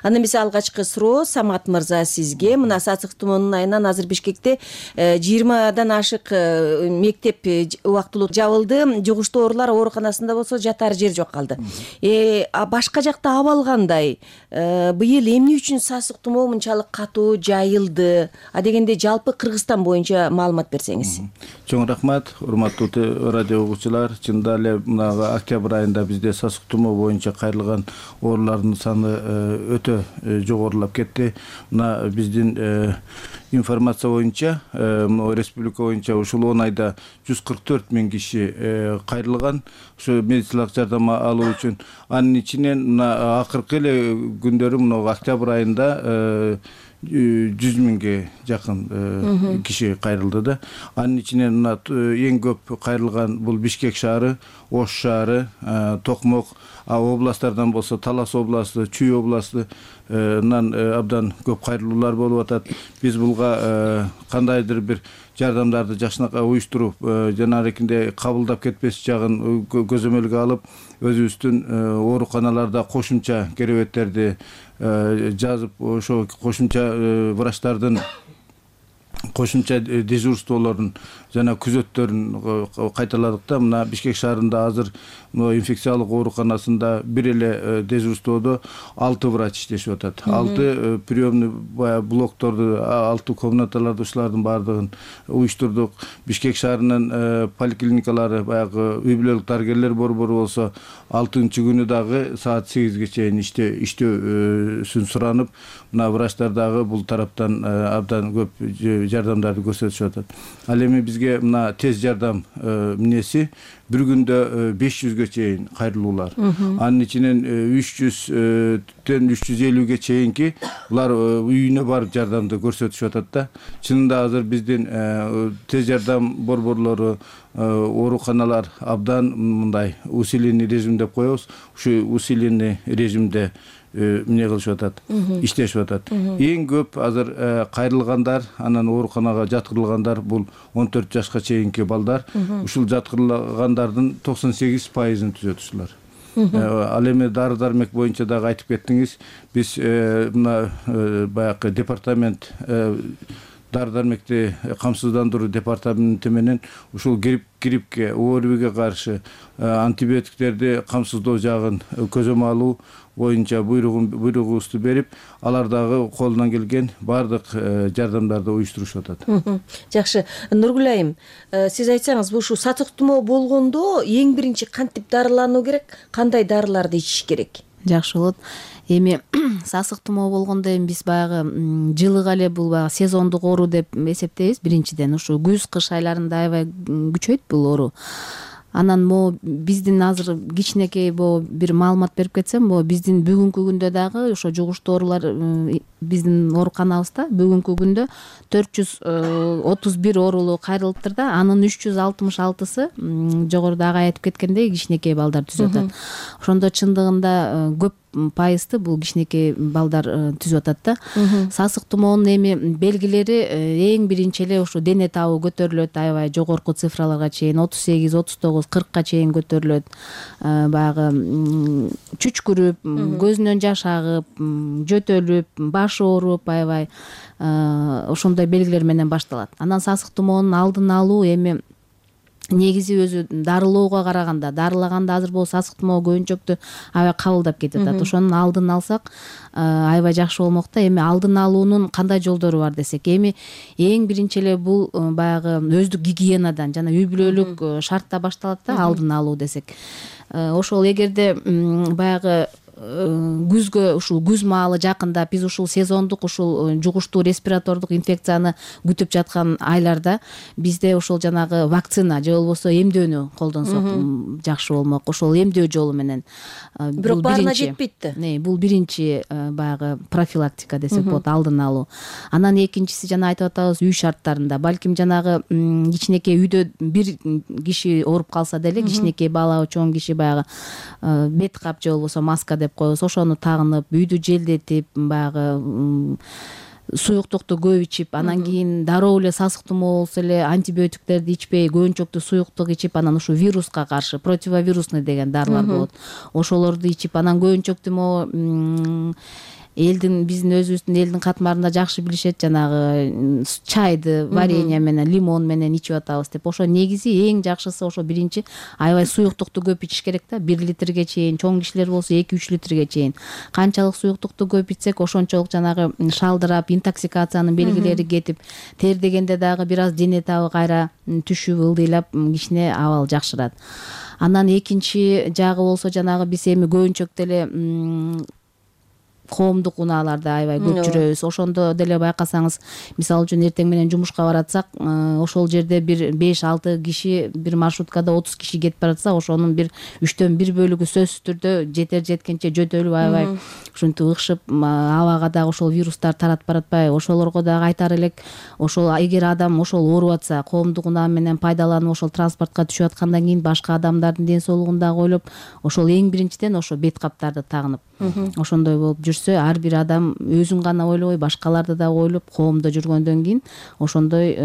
Анда эмесе алгачкы суроо Самат мырза сизге. Мына сасык тумоонун айынан азыр Бишкекте 20дан ашык мектеп убактылуу жабылды. Жугуштуу оорулар ооруканасында болсо жатар жер жок калды. Башка жакта абал кандай? Быйыл эмне үчүн сасык тумоо мынчалык катуу жайылды? Дегенде жалпы Кыргызстан боюнча маалымат берсеңиз. Чоң рахмат, урматтуу радио угуучулар. Чындап эле мына октябрь айында бизде сасык тумоо боюнча кайрылган оорулардын саны өтө жогорулап кетти. Мына биздин информация боюнча республика боюнча ушул 10 айда 144 000 киши кайрылган ушу медициналык жардам алуу үчүн. Анын ичинен мына акыркы эле күндөрү мына октябрь айында 100 000ге жакын киши кайрылды да. Анын ичинен мына эң көп кайрылган бул Бишкек шаары, Ош шаары, Токмок, областтардан болсо Талас областы, Чүй областынан абдан көп кайрылуулар болуп атат. Биз булга кандайдыр бир жардамдарды жакшынакай уюштуруп, жанагындай кабылдап кетпес жагын көзөмөлгө алып, өзүбүздүн ооруканаларда кошумча керебеттерди жазып, ошо кошумча врачтардын кошумча дежурстволорун жана күзөттөрүн кайталадык да. Мына Бишкек шаарында азыр инфекциялык ооруканасында бир эле дежурстводо 6 врач иштешип атат. 6 приемный блокторду, 6 комнаталарды ушулардын баардыгын уюштурдук. Бишкек шаарынын поликлиникалары баягы үй бүлөлүк дарыгерлер борбору болсо 6-күнү дагы саат 8ге чейин иштөөсүн суранып, мына врачтар дагы бул тараптан абдан көп жардамдарды көрсөтүшүп атат. Ал эми бизге мына тез жардам эмнеси бир күндө 500ге чейин кайрылуулар. Анын ичинен 300-тен 350ге чейинки булар үйүнө барып жардамды көрсөтүшүп атат да. Чынында азыр биздин тез жардам борборлору, ооруканалар абдан мындай усиленный режим деп коебуз. Ушу усиленный режимде эмне кылышып атат, иштешип атат. Эң көп азыр кайрылгандар, анан ооруканага жаткырылгандар бул 14 жашка чейинки балдар. Ушул жаткырылгандардын 98%-ын түзөт ушулар. Ал эми дары дармек боюнча дагы айтып кеттиңиз. Биз мына баягы департамент дары дармекти камсыздандыруу департаменти менен ушул гриппке, ОРВИге каршы антибиотиктерди камсыздоо жагын көзөмө алуу боюнча буйругубузду берип, алар дагы колунан келген баардык жардамдарды уюштурушуп атат. Жакшы. Нургүл айым, сиз айтсаңыз, ушу сасык тумоо болгондо эң биринчи кантип дарылануу керек, кандай дарыларды ичиш керек? Жакшы болот. Эми сасык тумоо болгондо эми биз баягы жылыга эле бул баягы сезондук оору деп эсептейбиз. Биринчиден ушу күз-кыш айларында аябай күчөйт бул оору. Анан могу биздин азыр кичинекей бир маалымат берип кетсем, биздин бүгүнкү күндө дагы ошо жугуштуу оорулар биздин ооруканабызда бүгүнкү күндө 431 оорулуу кайрылыптыр да. Анын 366-сы жогорудагы айтып кеткендей кичинекей балдар түзүп атат. Ошондо чындыгында көп пайызды бул кичинекей балдар түзүп атат да. Сасык тумоонун эми белгилери эң биринчи эле ушу дене табы көтөрүлөт, аябай жогорку цифраларга чейин 38, 39, 40ка чейин көтөрүлөт. Баягы чүчкүрүп, көзүнөн жаш агып, жөтөлүп, башы ооруп, аябай ошондой белгилер менен башталат. Анан сасык тумоонун алдын алуу эми негизи өзү дарылоого караганда, дарылаганда азыр бул сасык тумоо көбүнчөктү аябай кабылдап кетип атат. Ошонун алдын алсак аябай жакшы болмок да. Эми алдын алуунун кандай жолдору бар десек, эми эң биринчи эле бул баягы өздүк гигиенадан жана үй бүлөлүк шартта башталат да алдын алуу десек. Ошол эгерде баягы күзгө ушул күз маалы жакындап биз ушул сезондук ушул жугуштуу респиратордук инфекцияны күтүп жаткан айларда бизде ошол жанагы вакцина же болбосо эмдөөнү колдонсок жакшы болмок. Ошол эмдөө жолу менен бирок баарына жетпейт да. Бул биринчи баягы профилактика десек болот, алдын алуу. Анан экинчиси жана айтып атабыз үй шарттарында. Балким жанагы кичинекей үйдө бир киши ооруп калса деле, кичинекей бала, чоң киши баягы бет кап же болбосо маска деп коебуз, ошону тагынып, үйдү желдетип, баягы суюктукту көп ичип, анан кийин дароо эле сасык тумоо болсо эле антибиотиктерди ичпей, көбүнчөктүү суюктук ичип, анан ушу вируска каршы противовирусный деген дарылар болот. Ошолорду ичип, анан көбүнчөктүү могу биздин өзүбүздүн элдин катмарында жакшы билишет, жанагы чайды варенье менен, лимон менен ичип атабыз деп. Ошо негизи эң жакшысы ошо биринчи аябай суюктукту көп ичиш керек да, 1 литрге чейин, чоң кишилер болсо 2-3 литрге чейин. Канчалык суюктукту көп ичсек, ошончолук жанагы шалдырап, интоксикациянын белгилери кетип, тердегенде дагы бир аз дене табы кайра түшүп, ылдыйлап кичине абал жакшырат. Анан экинчи жагы болсо жанагы биз эми көбүнчөктө эле коомдук унааларда аябай көп жүрөбүз. Ошондо деле байкасаңыз, мисалы үчүн эртең менен жумушка баратсак, ошол жерде бир 5-6 киши бир маршруткада 30 киши кетип баратса, ошонун бир 3төн 1 бөлүгү сөзсүз түрдө жетер-жеткенче жөтөлүп, аябай ушинтип ыкшып, абага дагы ошол вирустар таратып баратпайбы? Ошолорго дагы айтар элек, ошол эгер адам ошол ооруп атса, коомдук унаа менен пайдаланып, ошол транспортко түшүп аткандан кийин башка адамдардын ден соолугун дагы ойлоп, ошол эң биринчиден ошо бет каптарды тагынып, ошондой болуп жүрсө, ар бир адам өзүн гана ойлобой, башкаларды дагы ойлоп, коомдо жүргөндөн кийин ошондой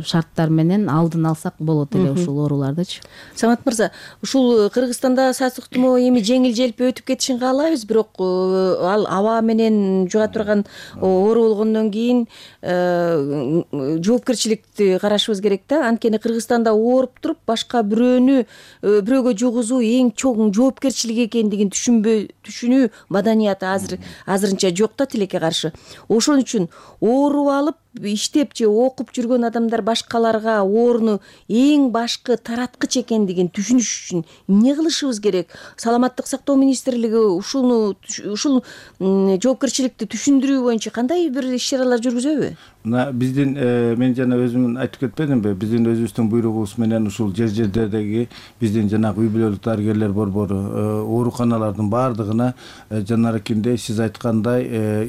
шарттар менен алдын алсак болот эле ушул оорулардычы. Самат мырза, ушул Кыргызстанда сасык тумоо эми жеңил-желпи өтүп кетишин каалайбыз, бирок ал аба менен жуга турган оору болгондон кийин жоопкерчиликти карашыбыз керек да. Анткени Кыргызстанда ооруп туруп бирөөгө жугузуу эң чоң жоопкерчилик экендигин түшүнүү маданияты азырынча жок да тилекке каршы. Ошон үчүн ооруп алып, иштеп же окуп жүргөн адамдар башкаларга ооруну эң башкы тараткыч экендигин түшүнүш үчүн эмне кылышыбыз керек? Саламаттык сактоо министрлиги ушул жоопкерчиликти түшүндүрүү боюнча кандай бир иш-чаралар жүргүзөбү? Мына биздин мен жана өзүм айтып кетпедимби? Биздин өзүбүздүн буйругубуз менен ушул жер-жердеги биздин жанагы үй бүлөлүк дарыгерлер борбору ооруканалардын баардыгына жанарыкинде сиз айткандай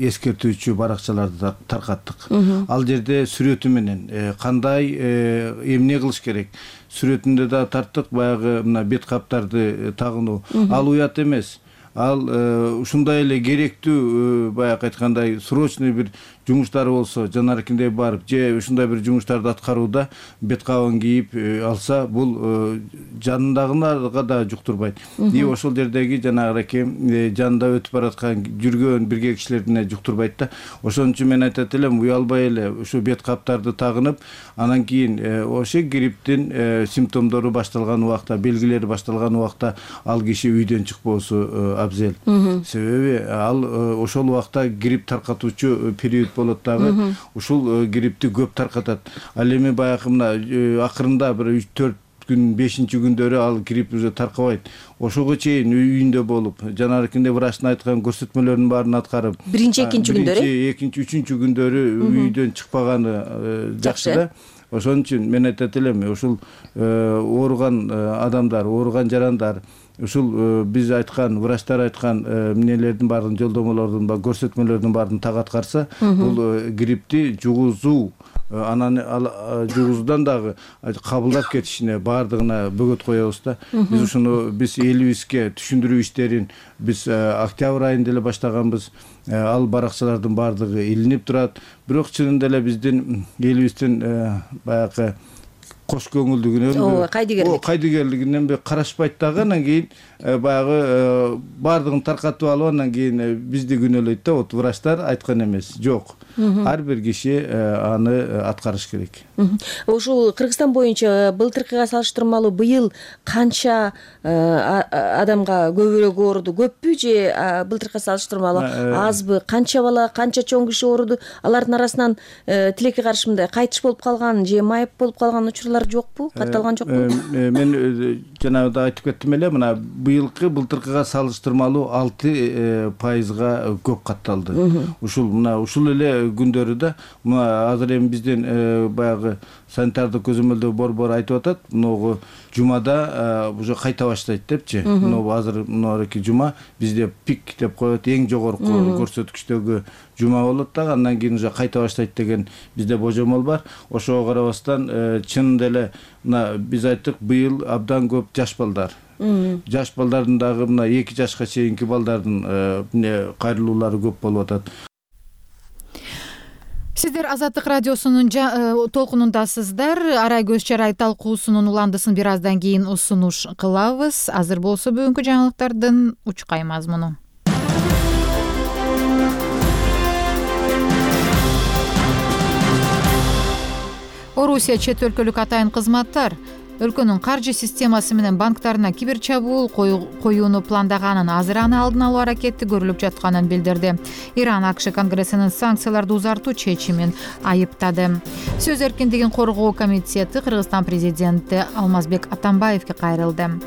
эскертүүчү баракчаларды таркаттык. Ал жерде сүрөтү менен кандай эмне кылыш керек? Сүрөтүндө да тарттык, баягы мына бет каптарды тагынуу. Ал уят эмес. Ал ушундай эле керектүү, баягы айткандай, срочный бир жумуштары болсо, жанарыкиндей барып, же ушундай бир жумуштарды аткарууда бет кабын кийип алса, бул жанындагыларга да жуктурбайт. И ошол жердеги жанагы жанында өтүп бараткан жүргөн бирге кишилерине жуктурбайт да. Ошон үчүн мен айтат элем, уялбай эле ушу бет каптарды тагынып, анан кийин ошо грипптин симптомдору башталган убакта, белгилери башталган убакта ал киши үйдөн чыкпоосу абзел. Себеби ал ошол убакта грипп таркатуучу период болот дагы, ушул гриппти көп таркатат. Ал эми баягы мына акырында бир 3-4 күн, 5-күндөрү ал грипп уже таркабайт. Ошого чейин үйүндө болуп, жанарыкинде врачтын айткан көрсөтмөлөрүнүн баарын аткарып, биринчи, экинчи күндөрү, экинчи, үчүнчү күндөрү үйдөн чыкпаганы жакшы да. Ошон үчүн мен айтат элем, ушул ооруган адамдар, ооруган жарандар, ушул биз айткан, врачтар айткан эмнелердин баарын, жолдомолордун, көрсөтмөлөрдүн баарын так аткарса, бул гриппти жугузуу, анан жугузуудан дагы кабылдап кетишине баардыгына бөгөт коебуз да. Биз ушуну элибизге түшүндүрүү иштерин биз октябрь айында эле баштаганбыз. Ал баракчалардын баардыгы илинип турат. Бирок чынында эле биздин элибиздин баягы кош көңүлдүгүнөн, кайдыгерлигинен карашпайт дагы. Анан кийин баягы баардыгын таркатып алып, анан кийин бизди күнөөлөйт да. Вот врачтар айткан эмес. Жок. Ар бир киши аны аткарыш керек. Ушул Кыргызстан боюнча былтыркыга салыштырмалуу быйыл канча адамга көбүрөөк ооруду? Көппү же былтыркыга салыштырмалуу азбы? Канча бала, канча чоң киши ооруду? Алардын арасынан тилекке каршы мындай кайтыш болуп калган же майып болуп калган учурлар жокпу? Катталган жокпу? Мен жанагыда айтып кеттим эле, мына былтыркыга салыштырмалуу 6%га көп катталды. Ушул эле күндөрү да мына азыр эми биздин баягы санитардык көзөмөлдөө борбор айтып атат, могу жумада уже кайта баштайт депчи. Могу азыр мынакей жума бизде пик деп коет, эң жогорку көрсөткүчтөгү жума болот дагы, андан кийин уже кайта баштайт деген бизде божомол бар. Ошого карабастан чынында эле мына биз айттык, быйыл абдан көп жаш балдар. Жаш балдардын дагы мына 2 жашка чейинки балдардын кайрылуулары көп болуп атат. Сиздер Азаттык радиосунун толкунундасыздар. Арай көз чарай талкуусунун уландысын бир аздан кийин сунуш кылабыз. Азыр болсо бүгүнкү жаңылыктардын учкай мазмуну. Орусия чет өлкөлүк атайын кызматтар өлкөнүн каржы системасы менен банктарына киберчабуул коюуну пландаганын, азыр аны алдын алуу аракети көрүлүп жатканын билдирди. Иран АКШ Конгрессинин санкцияларды узартуу чечимин айыптады. Сөз эркиндигин коргоо комитети Кыргызстан президенти Алмазбек Атамбаевге кайрылды.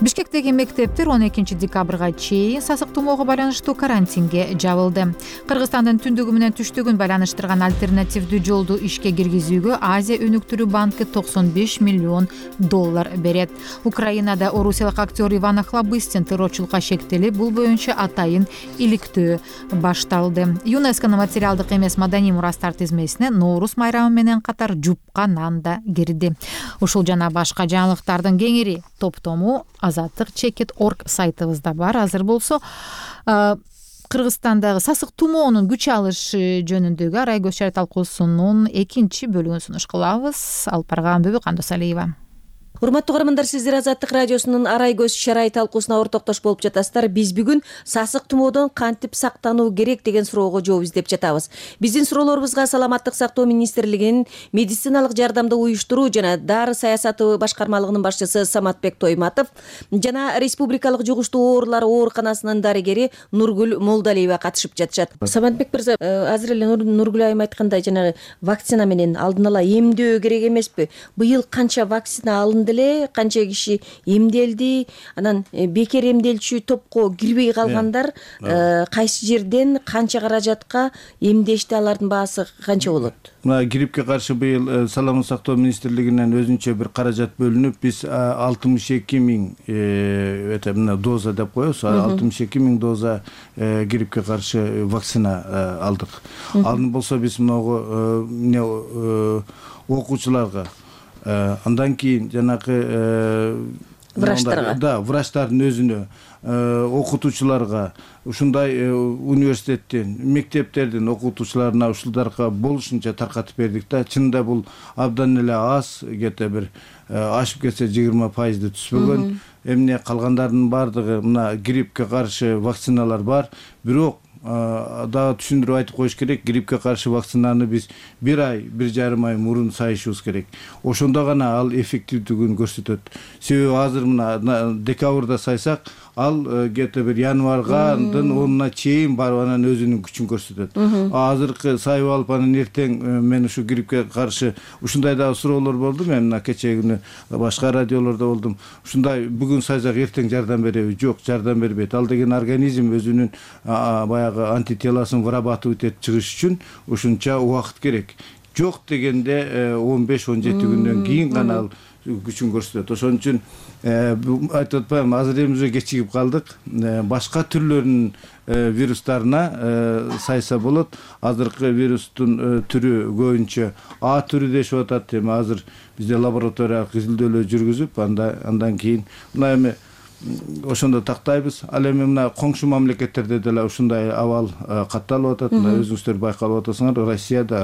Бишкектеги мектептер 12 декабрга чейин сасык тумоого байланыштуу карантинге жабылды. Кыргызстандын түндүгү менен түштүгүн байланыштырган альтернативдүү жолду ишке киргизүүгө Азия өнүктүрүү банкы $95 миллион берет. Украинада орусиялык актер Иван Охлобыстин террорчулукка шектелип, бул боюнча атайын иликтөө башталды. ЮНЕСКОнун материалдык эмес маданий мурастар тизмесине Ноорус майрамы менен катар жупка нан да кирди. Ушул жана башка жаңылыктардын кеңири топтому Азаттык.org сайтыбызда бар. Азыр болсо Кыргызстандагы сасык тумоонун күч алышы жөнүндөгү Арай көз чарай талкуусунун 2 бөлүгүн сунуш кылабыз. Алып барган Бүбү Кандосалиева. Урматтуу көрөрмандар, сиздер Азаттык радиосунун Арай көз чарай талкуусуна ортоктош болуп жатасыздар. Биз бүгүн сасык тумоодон кантип сактануу керек деген суроого жооп издеп жатабыз. Биздин суроолорубузга Саламаттык сактоо министрлигинин медициналык жардамды уюштуруу жана дары саясаты башкармалыгынын башчысы Саматбек Тойматов жана Республикалык жугуштуу оорулар ооруканасынын дарыгери Нургүл Молдалиева катышып жатышат. Саматбек мырза, азыр эле Нургүл айым айткандай, жанагы вакцина менен алдын ала эмдөө керек эмеспи? Быйыл канча вакцина алынды, канча киши эмделди, анан бекер эмделчү топко кирбей калгандар кайсы жерден канча каражатка эмдешти, алардын баасы канча болот? Мына гриппке каршы быйыл Саламаттык сактоо министрлигинен өзүнчө бир каражат бөлүнүп, биз 62 миң мына доза деп коебуз, 62 миң доза гриппке каршы вакцина алдык. Алдын болсо биз могу окуучуларга, андан кийин жанагы врачтардын өзүнө, окутуучуларга, ушундай университеттин, мектептердин окутуучуларына ушуларга болушунча таркатып бердик да. Чынында бул абдан эле аз, где-то бир ашып кетсе 20%-ды түспөгөн. Эмне калгандардын бардыгы мына гриппке каршы вакциналар бар, бирок дагы түшүндүрүп айтып коюш керек, гриппке каршы вакцинаны биз 1 ай, 1,5 ай мурун сайышыбыз керек. Ошондо гана ал эффективдүүлүгүн көрсөтөт. Себеби азыр мына декабрда сайсак, ал где-то бир январгадын 10-на чейин барып анан өзүнүн күчүн көрсөтөт. Азыркы сайып алып анан эртең мен ушу гриппке каршы ушундай дагы суроолор болду. Мен мына кечээ күнү башка радиолордо болдум. Ушундай бүгүн сайсак эртең жардам береби? Жок, жардам бербейт. Ал деген организм өзүнүн баягы антителосын вырабатывать этип чыгыш үчүн ушунча убакыт керек. Жок дегенде 15-17 күндөн кийин гана ал күчүн көрсөтөт. Ошон үчүн айтып атпаймынбы, азыр эмне кечигип калдык. Башка түрлөрүнүн вирустарына сайса болот. Азыркы вирустун түрү көбүнчө А түрү дешип атат. Эми азыр бизде лабораториялык изилдөөлөр жүргүзүп, андан кийин мына эми ошондо тактайбыз. Ал эми мына коңшу мамлекеттерде деле ушундай абал катталып атат. Өзүңүздөр байкалып атасыңар,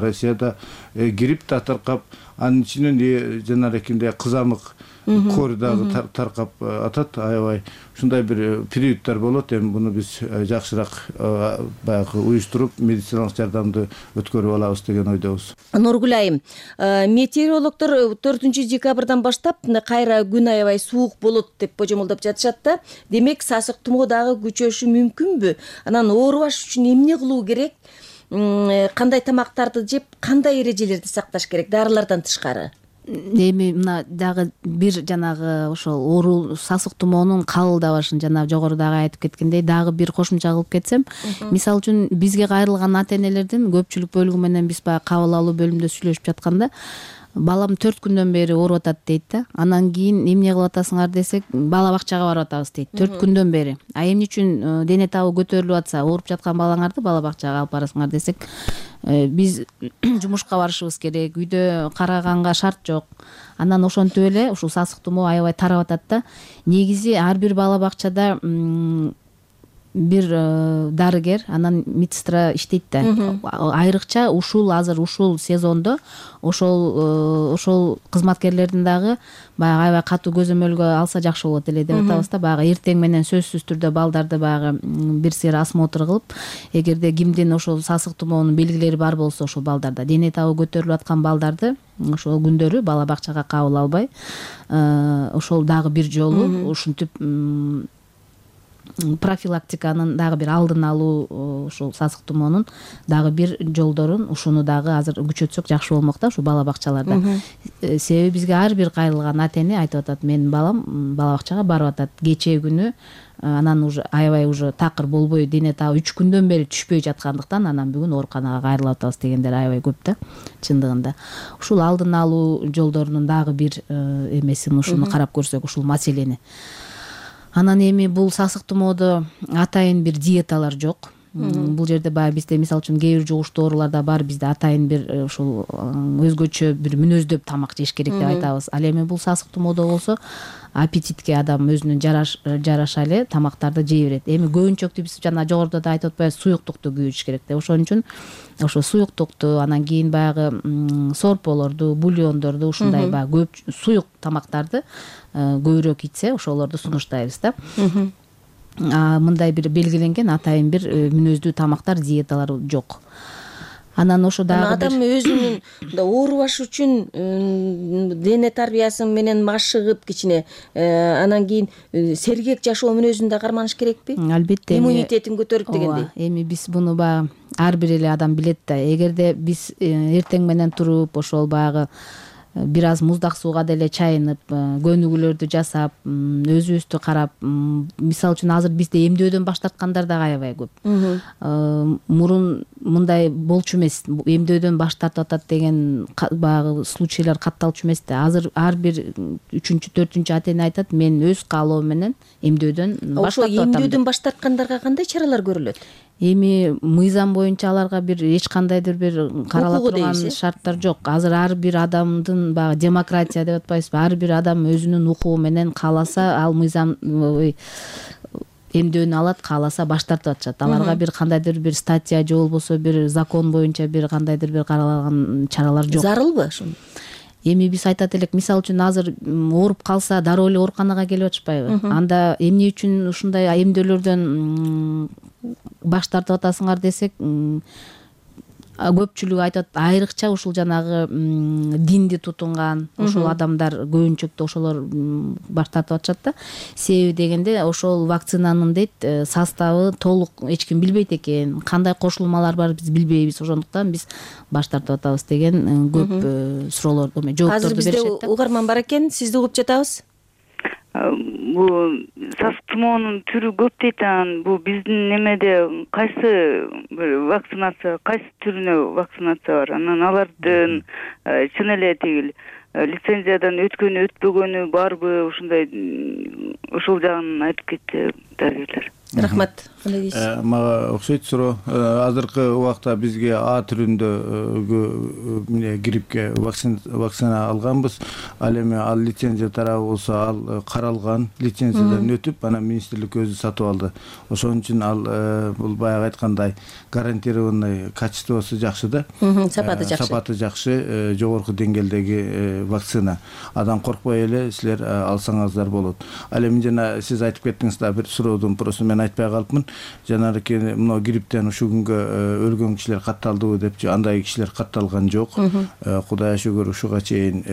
Россияда грипп да таркап, анын ичинен жанагындай кызамык кор дагы таркап атат. Аябай ушундай бир периодтор болот. Эми буну биз жакшыраак баягы уюштуруп, медициналык жардамды өткөрүп алабыз деген ойдобуз. Нургүл айым, метеорологдор 4 декабрдан баштап кайра күн аябай суук болот деп божомолдоп жатышат да. Демек, сасык тумоо дагы күчөшү мүмкүнбү? Анан оорубаш үчүн эмне кылуу керек? Кандай тамактарды жеп, кандай эрежелерди сакташ керек дарылардан тышкары? эми мына дагы бир жанагы ошол оору сасык тумоонун кабылдабашын жана жогорудагы айтып кеткендей дагы бир кошумча кылып кетсем, мисалы үчүн бизге кайрылган ата энелердин көпчүлүк бөлүгү менен биз баягы кабыл алуу бөлүмүндө сүйлөшүп жатканда балам 4 күндөн бери ооруп атат дейт да. Анан кийин эмне кылып атасыңар десек, бала бакчага барып атабыз дейт. 4 күндөн бери. А эмне үчүн дене табы көтөрүлүп атса, ооруп жаткан балаңарды бала бакчага алып барасыңар десек, биз жумушка барышыбыз керек, үйдө караганга шарт жок. Анан ошентип эле ушул сасык тумоо аябай тарап атат да. Негизи ар бир бала бакчада бир дарыгер, анан медсестра иштейт да. Айрыкча азыр ушул сезондо ошол кызматкерлердин дагы баягы аябай катуу көзөмөлгө алса жакшы болот эле деп атабыз да. Баягы эртең менен сөзсүз түрдө балдарды баягы бир сыйыр осмотр кылып, эгерде кимдин ошол сасык тумоонун белгилери бар болсо, ошол балдарда дене табы көтөрүлүп аткан балдарды ошол күндөрү бала бакчага кабыл албай, ошол дагы бир жолу ушинтип профилактиканын дагы бир алдын алуу, ушул сасык тумоонун дагы бир жолдорун ушуну дагы азыр күчөтсөк жакшы болмок да, ушул бала бакчаларда. Себеби бизге ар бир кайрылган ата эне айтып атат, менин балам бала бакчага барып атат кечээ күнү, анан уже аябай уже такыр болбой дене табы 3 күндөн бери түшпөй жаткандыктан анан бүгүн ооруканага кайрылып атабыз дегендер аябай көп да, чындыгында. Ушул алдын алуу жолдорунун дагы бир эмесин ушуну карап көрсөк, ушул маселени. Анан эми бул сасык тумоодо атайын бир диеталар жок. Бул жерде баягы бизде мисалы үчүн кээ бир жугуштуу ооруларда бар, бизде атайын бир ушул өзгөчө бир мүнөздөп тамак жеш керек деп айтабыз. Ал эми бул сасык тумоодо болсо аппетитке адам өзүнүн жараша эле тамактарды жей берет. Эми көбүнчөктү биз жана жогоруда да айтып атпайбыз, суюктукту күйүтүш керек деп. Ошон үчүн ошо суюктукту, анан кийин баягы сорполорду, бульондорду, ушундай баягы көп суюк тамактарды көбүрөөк ичсе, ошолорду сунуштайбыз да. Мындай бир белгиленген атайын бир мүнөздүү тамактар, диеталар жок. Анан ошо дагы адам өзүнүн оорубаш үчүн дене тарбиясы менен машыгып кичине, анан кийин сергек жашоо мүнөзүн да карманыш керекпи? Албетте. Иммунитетин көтөрүп дегендей. Эми биз буну баягы ар бир эле адам билет да. Эгерде биз эртең менен туруп ошол баягы бир аз муздак сууга деле чайынып, көнүгүүлөрдү жасап, өзүбүздү карап, мисалы үчүн азыр бизде эмдөөдөн баш тарткандар дагы аябай көп. Мурун мындай болчу эмес, эмдөөдөн баш тартып атат деген баягы случайлар катталчу эмес да. Азыр ар бир 3-4 ата эне айтат, мен өз каалоом менен эмдөөдөн баш тартып атам. Ошо эмдөөдөн баш тарткандарга кандай чаралар көрүлөт? Эми мыйзам боюнча аларга бир эч кандайдыр бир карала турган шарттар жок. Азыр ар бир адамдын баягы демократия деп атпайбызбы? Ар бир адам өзүнүн укугу менен кааласа, ал мыйзам эмдөөнү алат, кааласа баш тартып атышат. Аларга бир кандайдыр бир статья же болбосо бир закон боюнча бир кандайдыр бир каралган чаралар жок. Зарылбы ошол? Эми биз айтат элек, мисалы үчүн азыр ооруп калса дароо эле ооруканага келип атышпайбы? Анда эмне үчүн ушундай эмдөөлөрдөн баш тартып атасыңар десек, көпчүлүгү айтат, айрыкча ушул жанагы динди тутунган ошол адамдар көбүнчөктү ошолор баш тартып атышат да. Себеби дегенде ошол вакцинанын дейт составы толук эч ким билбейт экен, кандай кошулмалар бар биз билбейбиз, ошондуктан биз баш тартып атабыз деген көп суроолор, жоопторду беришет да. Азыр бизде угарман бар экен, сизди угуп жатабыз. Бул сасык тумоонун түрү көп дейт, анан бул биздин немеде кайсы вакцинация, кайсы түрүнө вакцинация бар? Анан алардын чын эле тиги лицензиядан өткөнү, өтпөгөнү барбы? Ушундай ошол жагын айтып кетти дарыгерлер. Рахмат. Кандай дейсиз? Мага окшойт суроо. Азыркы убакта бизге А түрүндө гриппке вакцина алганбыз. Ал эми ал лицензия тарабы болсо ал каралган, лицензиядан өтүп, анан министрлик өзү сатып алды. Ошон үчүн ал бул баягы айткандай гарантированный качествосу жакшы да. Сапаты жакшы. Сапаты жакшы, жогорку деңгээлдеги вакцина. Адам коркпой эле силер алсаңыздар болот. Ал эми жана сиз айтып кеттиңиз да, бир суроодун просто мен айтпай калыпмын. Жанагы мына грипптен ушул күнгө өлгөн кишилер катталдыбы депчи, андай кишилер катталган жок. Кудайга шүгүр ушуга чейин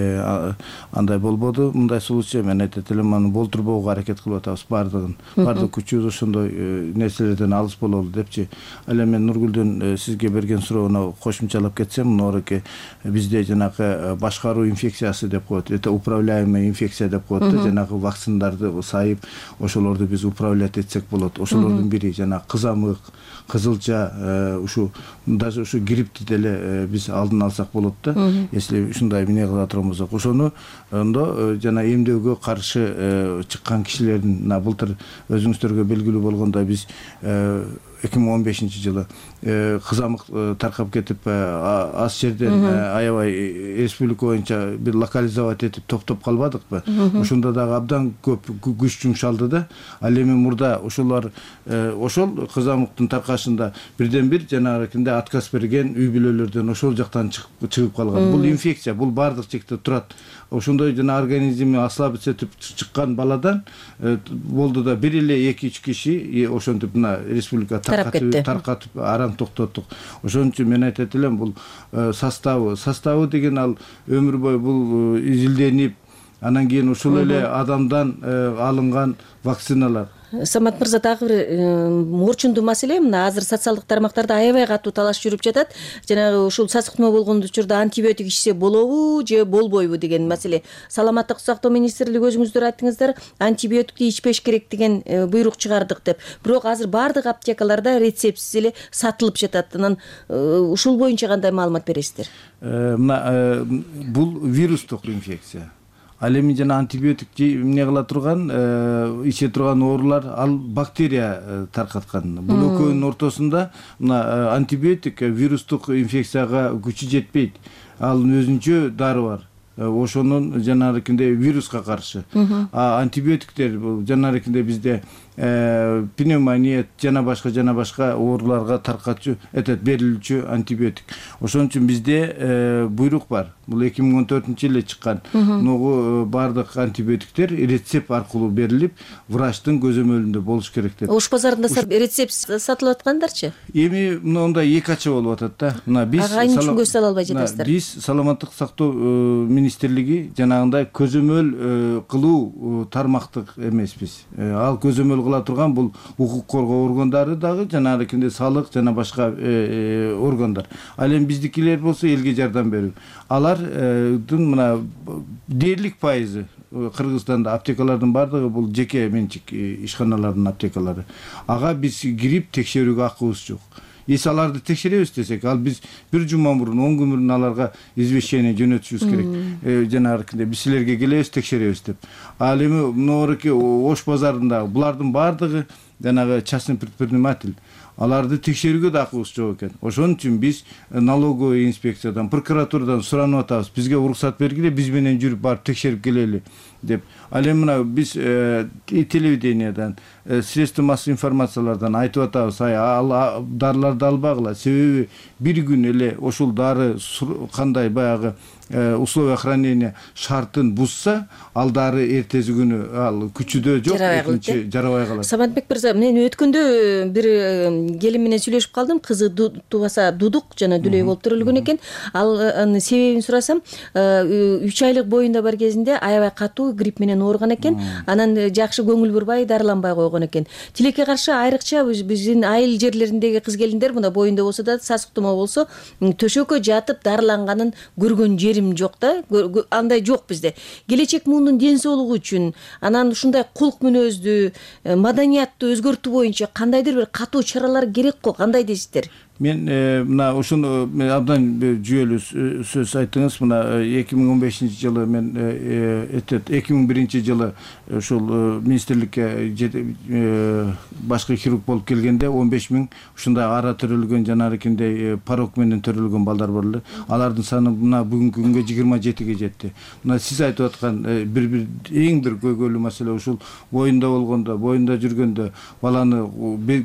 андай болбоду. Мындай случай мен айтат элем, аны болтурбоого аракет кылып атабыз бардыгын. Бардык күчүбүз ошондой нерселерден алыс бололу депчи. Ал эми мен Нургүлдүн сизге берген суроону кошумчалап кетсем, мынорке бизде жанагы башкаруу инфекциясы деп коет, это управляемая инфекция деп коет да, жанагы вакциналарды сайып, ошолорду биз управлять этсек болот. Ошолордун бири жанагы кызамык, кызылча, ушу даже ушу грипти деле биз алдын алсак болот да. Если ушундай эмне кыла турган болсок, ошону ондо жана эмдөөгө каршы чыккан кишилердин былтыр өзүңүздөргө белгилүү болгондой биз 2015-жылы кызамык таркап кетип, аз жерден аябай республика боюнча бир локализовать этип топтоп калбадыкпы? Ошондо дагы абдан көп күч жумшалды да. Ал эми мурда ошол кызамыктын таркашында бирден бир жанагы отказ берген үй бүлөлөрдөн ошол жактан чыгып калган. Бул инфекция, бул бардык жекте турат. Ошондой жана организми ослабиться этип чыккан баладан болду да, бир эле 2-3 киши ошентип мына республика таркатып араң токтоттук. Ошон үчүн мен айтат элем, бул составы деген ал өмүр бою бул изилденип, анан кийин ушул эле адамдан алынган вакциналар. Самат мырза, дагы бир орчундуу маселе, мына азыр социалдык тармактарда аябай катуу талаш жүрүп жатат. Жанагы ушул сасык тумоо болгон учурда антибиотик ичсе болобу же болбойбу деген маселе. Саламаттык сактоо министрлиги өзүңүздөр айттыңыздар, антибиотикти ичпеш керек деген буйрук чыгардык деп. Бирок азыр бардык аптекаларда рецептсиз эле сатылып жатат. Анан ушул боюнча кандай маалымат бересиздер? Мына бул вирустук инфекция. Ал эми жана антибиотик эмне кыла турган, иче турган оорулар ал бактерия таркаткан. Бул экөөнүн ортосунда мына антибиотик вирустук инфекцияга күчү жетпейт. Ал өзүнчө дары бар. Ошонун жанагындай вируска каршы. Антибиотиктер жанагындай бизде пневмония жана башка ооруларга таркатчу берилүүчү антибиотик. Ошон үчүн бизде буйрук бар. Бул 2014-жылы чыккан. Ногу бардык антибиотиктер рецепт аркылуу берилип, врачтын көзөмөлүндө болуш керек деп. Ош базарында рецепт сатылып аткандарчы? Эми мындай эки ача болуп атат да. Мына биз үчүн көз сала албай жатасыздар. Биз саламаттык сактоо министрлиги жанагындай көзөмөл кылуу тармактык эмеспиз. Ал көзөмөл кыла турган бул укук коргоо органдары дагы, жанагындай салык жана башка органдар. Ал эми биздикилер болсо элге жардам берүү. Алардын мына дээрлик пайызы Кыргызстанда аптекалардын бардыгы бул жеке менчик ишканалардын аптекалары. Ага биз кирип текшерүүгө акыбыз жок. Эс аларды текшеребиз десек, ал биз бир жума мурун, 10 күн мурун аларга извещение жөнөтүшүбүз керек. Жанагындай биз силерге келебиз, текшеребиз деп. Ал эми мынорки Ош базарында булардын бардыгы жанагы частный предприниматель. Аларды текшерүүгө да акыбыз жок экен. Ошон үчүн биз налоговый инспекциядан, прокуратурадан суранып атабыз. Бизге уруксат бергиле, биз менен жүрүп барып текшерип келели деп. Ал эми мына биз телевидениядан, средства массовой информациялардан айтып атабыз, ал дарыларды албагыла. Себеби бир күн эле ошол дары кандай баягы условия хранения шартын бузса, ал дары эртеси күнү ал күчүдө жок, экинчи жарабай калат. Саматбек мырза, мен өткөндө бир келин менен сүйлөшүп калдым. Кызы тубаса дудук жана дүлөй болуп төрөлгөн экен. Ал себебин сурасам, 3 айлык боюнда бар кезинде аябай катуу грипп менен ооруган экен. Анан жакшы көңүл бурбай, дарыланбай койгон экен. Тилекке каршы айрыкча биздин айыл жерлериндеги кыз келиндер мына боюнда болсо да, сасык тумоо болсо, төшөккө жатып дарыланганын көргөн жерим жок да. Андай жок бизде. Келечек муунун ден соолугу үчүн, анан ушундай кулк мүнөздү, маданиятты өзгөртүү боюнча кандайдыр бир катуу чаралар керек го, кандай дейсиздер? Мен мына ушуну абдан жүйөлүү сөз айттыңыз. Мына 2015-жылы мен 2001-жылы ушул министрликке башкы хирург болуп келгенде 15 000 ушундай ара төрөлгөн жанагындай порок менен төрөлгөн балдар бар эле. Алардын саны мына бүгүнкү күнгө 27-ге жетти. Мына сиз айтып аткан бир эң бир көйгөйлүү маселе ушул боюнда болгондо, боюнда жүргөндө баланы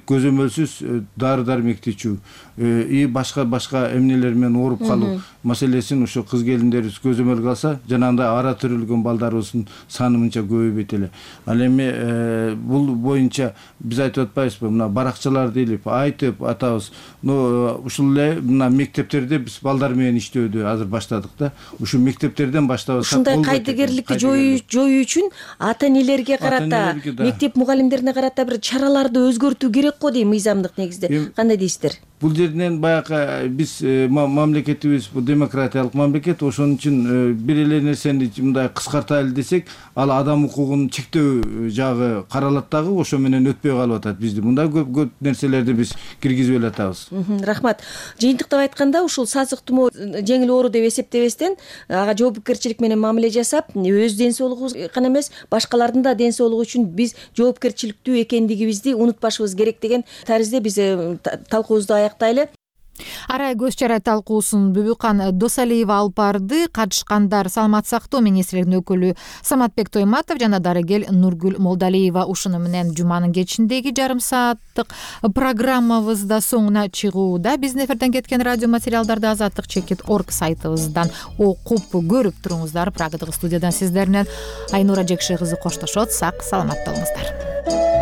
көзөмөлсүз дары дармекти ичүү. и башка эмнелер менен ооруп калуу маселесин ушу кыз келиндерибиз көзөмөлгө алса, жанагындай ара төрөлгөн балдарыбыздын саны мынча көбөйбөйт эле. Ал эми бул боюнча биз айтып атпайбызбы, мына баракчаларды илип айтып атабыз. Ушул эле мына мектептерде биз балдар менен иштөөдү азыр баштадык да. Ушу мектептерден баштабасак, ушундай кайдыгерликти жоюу үчүн ата энелерге карата, мектеп мугалимдерине карата бир чараларды өзгөртүү керек го дейм, мыйзамдык негизде. Кандай дейсиздер? Бул жерден баягы биз мамлекетибиз бул демократиялык мамлекет, ошон үчүн бир эле нерсени мындай кыскартайлы десек, ал адам укугун чектөө жагы каралат дагы, ошо менен өтпөй калып атат бизди. Мындай көп нерселерди биз киргизип эле атабыз. Рахмат. Жыйынтыктап айтканда, ушул сасык тумоо жеңил оору деп эсептебестен, ага жоопкерчилик менен мамиле жасап, өз ден соолугубуз гана эмес, башкалардын да ден соолугу үчүн биз жоопкерчиликтүү экендигибизди унутпашыбыз керек деген таризде биз талкуубузду аяктайлы. Арай көз чарай талкуусун Бүбүкан Досалиева алып барды. Катышкандар Саламаттык сактоо министрлигинин өкүлү Саматбек Тойматов жана дарыгер Нургүл Молдалиева. Ушуну менен жуманын кечиндеги жарым сааттык программабызда соңуна чыгууда. Биздин эфирден кеткен радио материалдарды azatlyk.org сайтыбыздан окуп көрүп туруңуздар. Прагадагы студиядан сиздер менен Айнура Жекши кызы коштошот. Сак саламатта болуңуздар.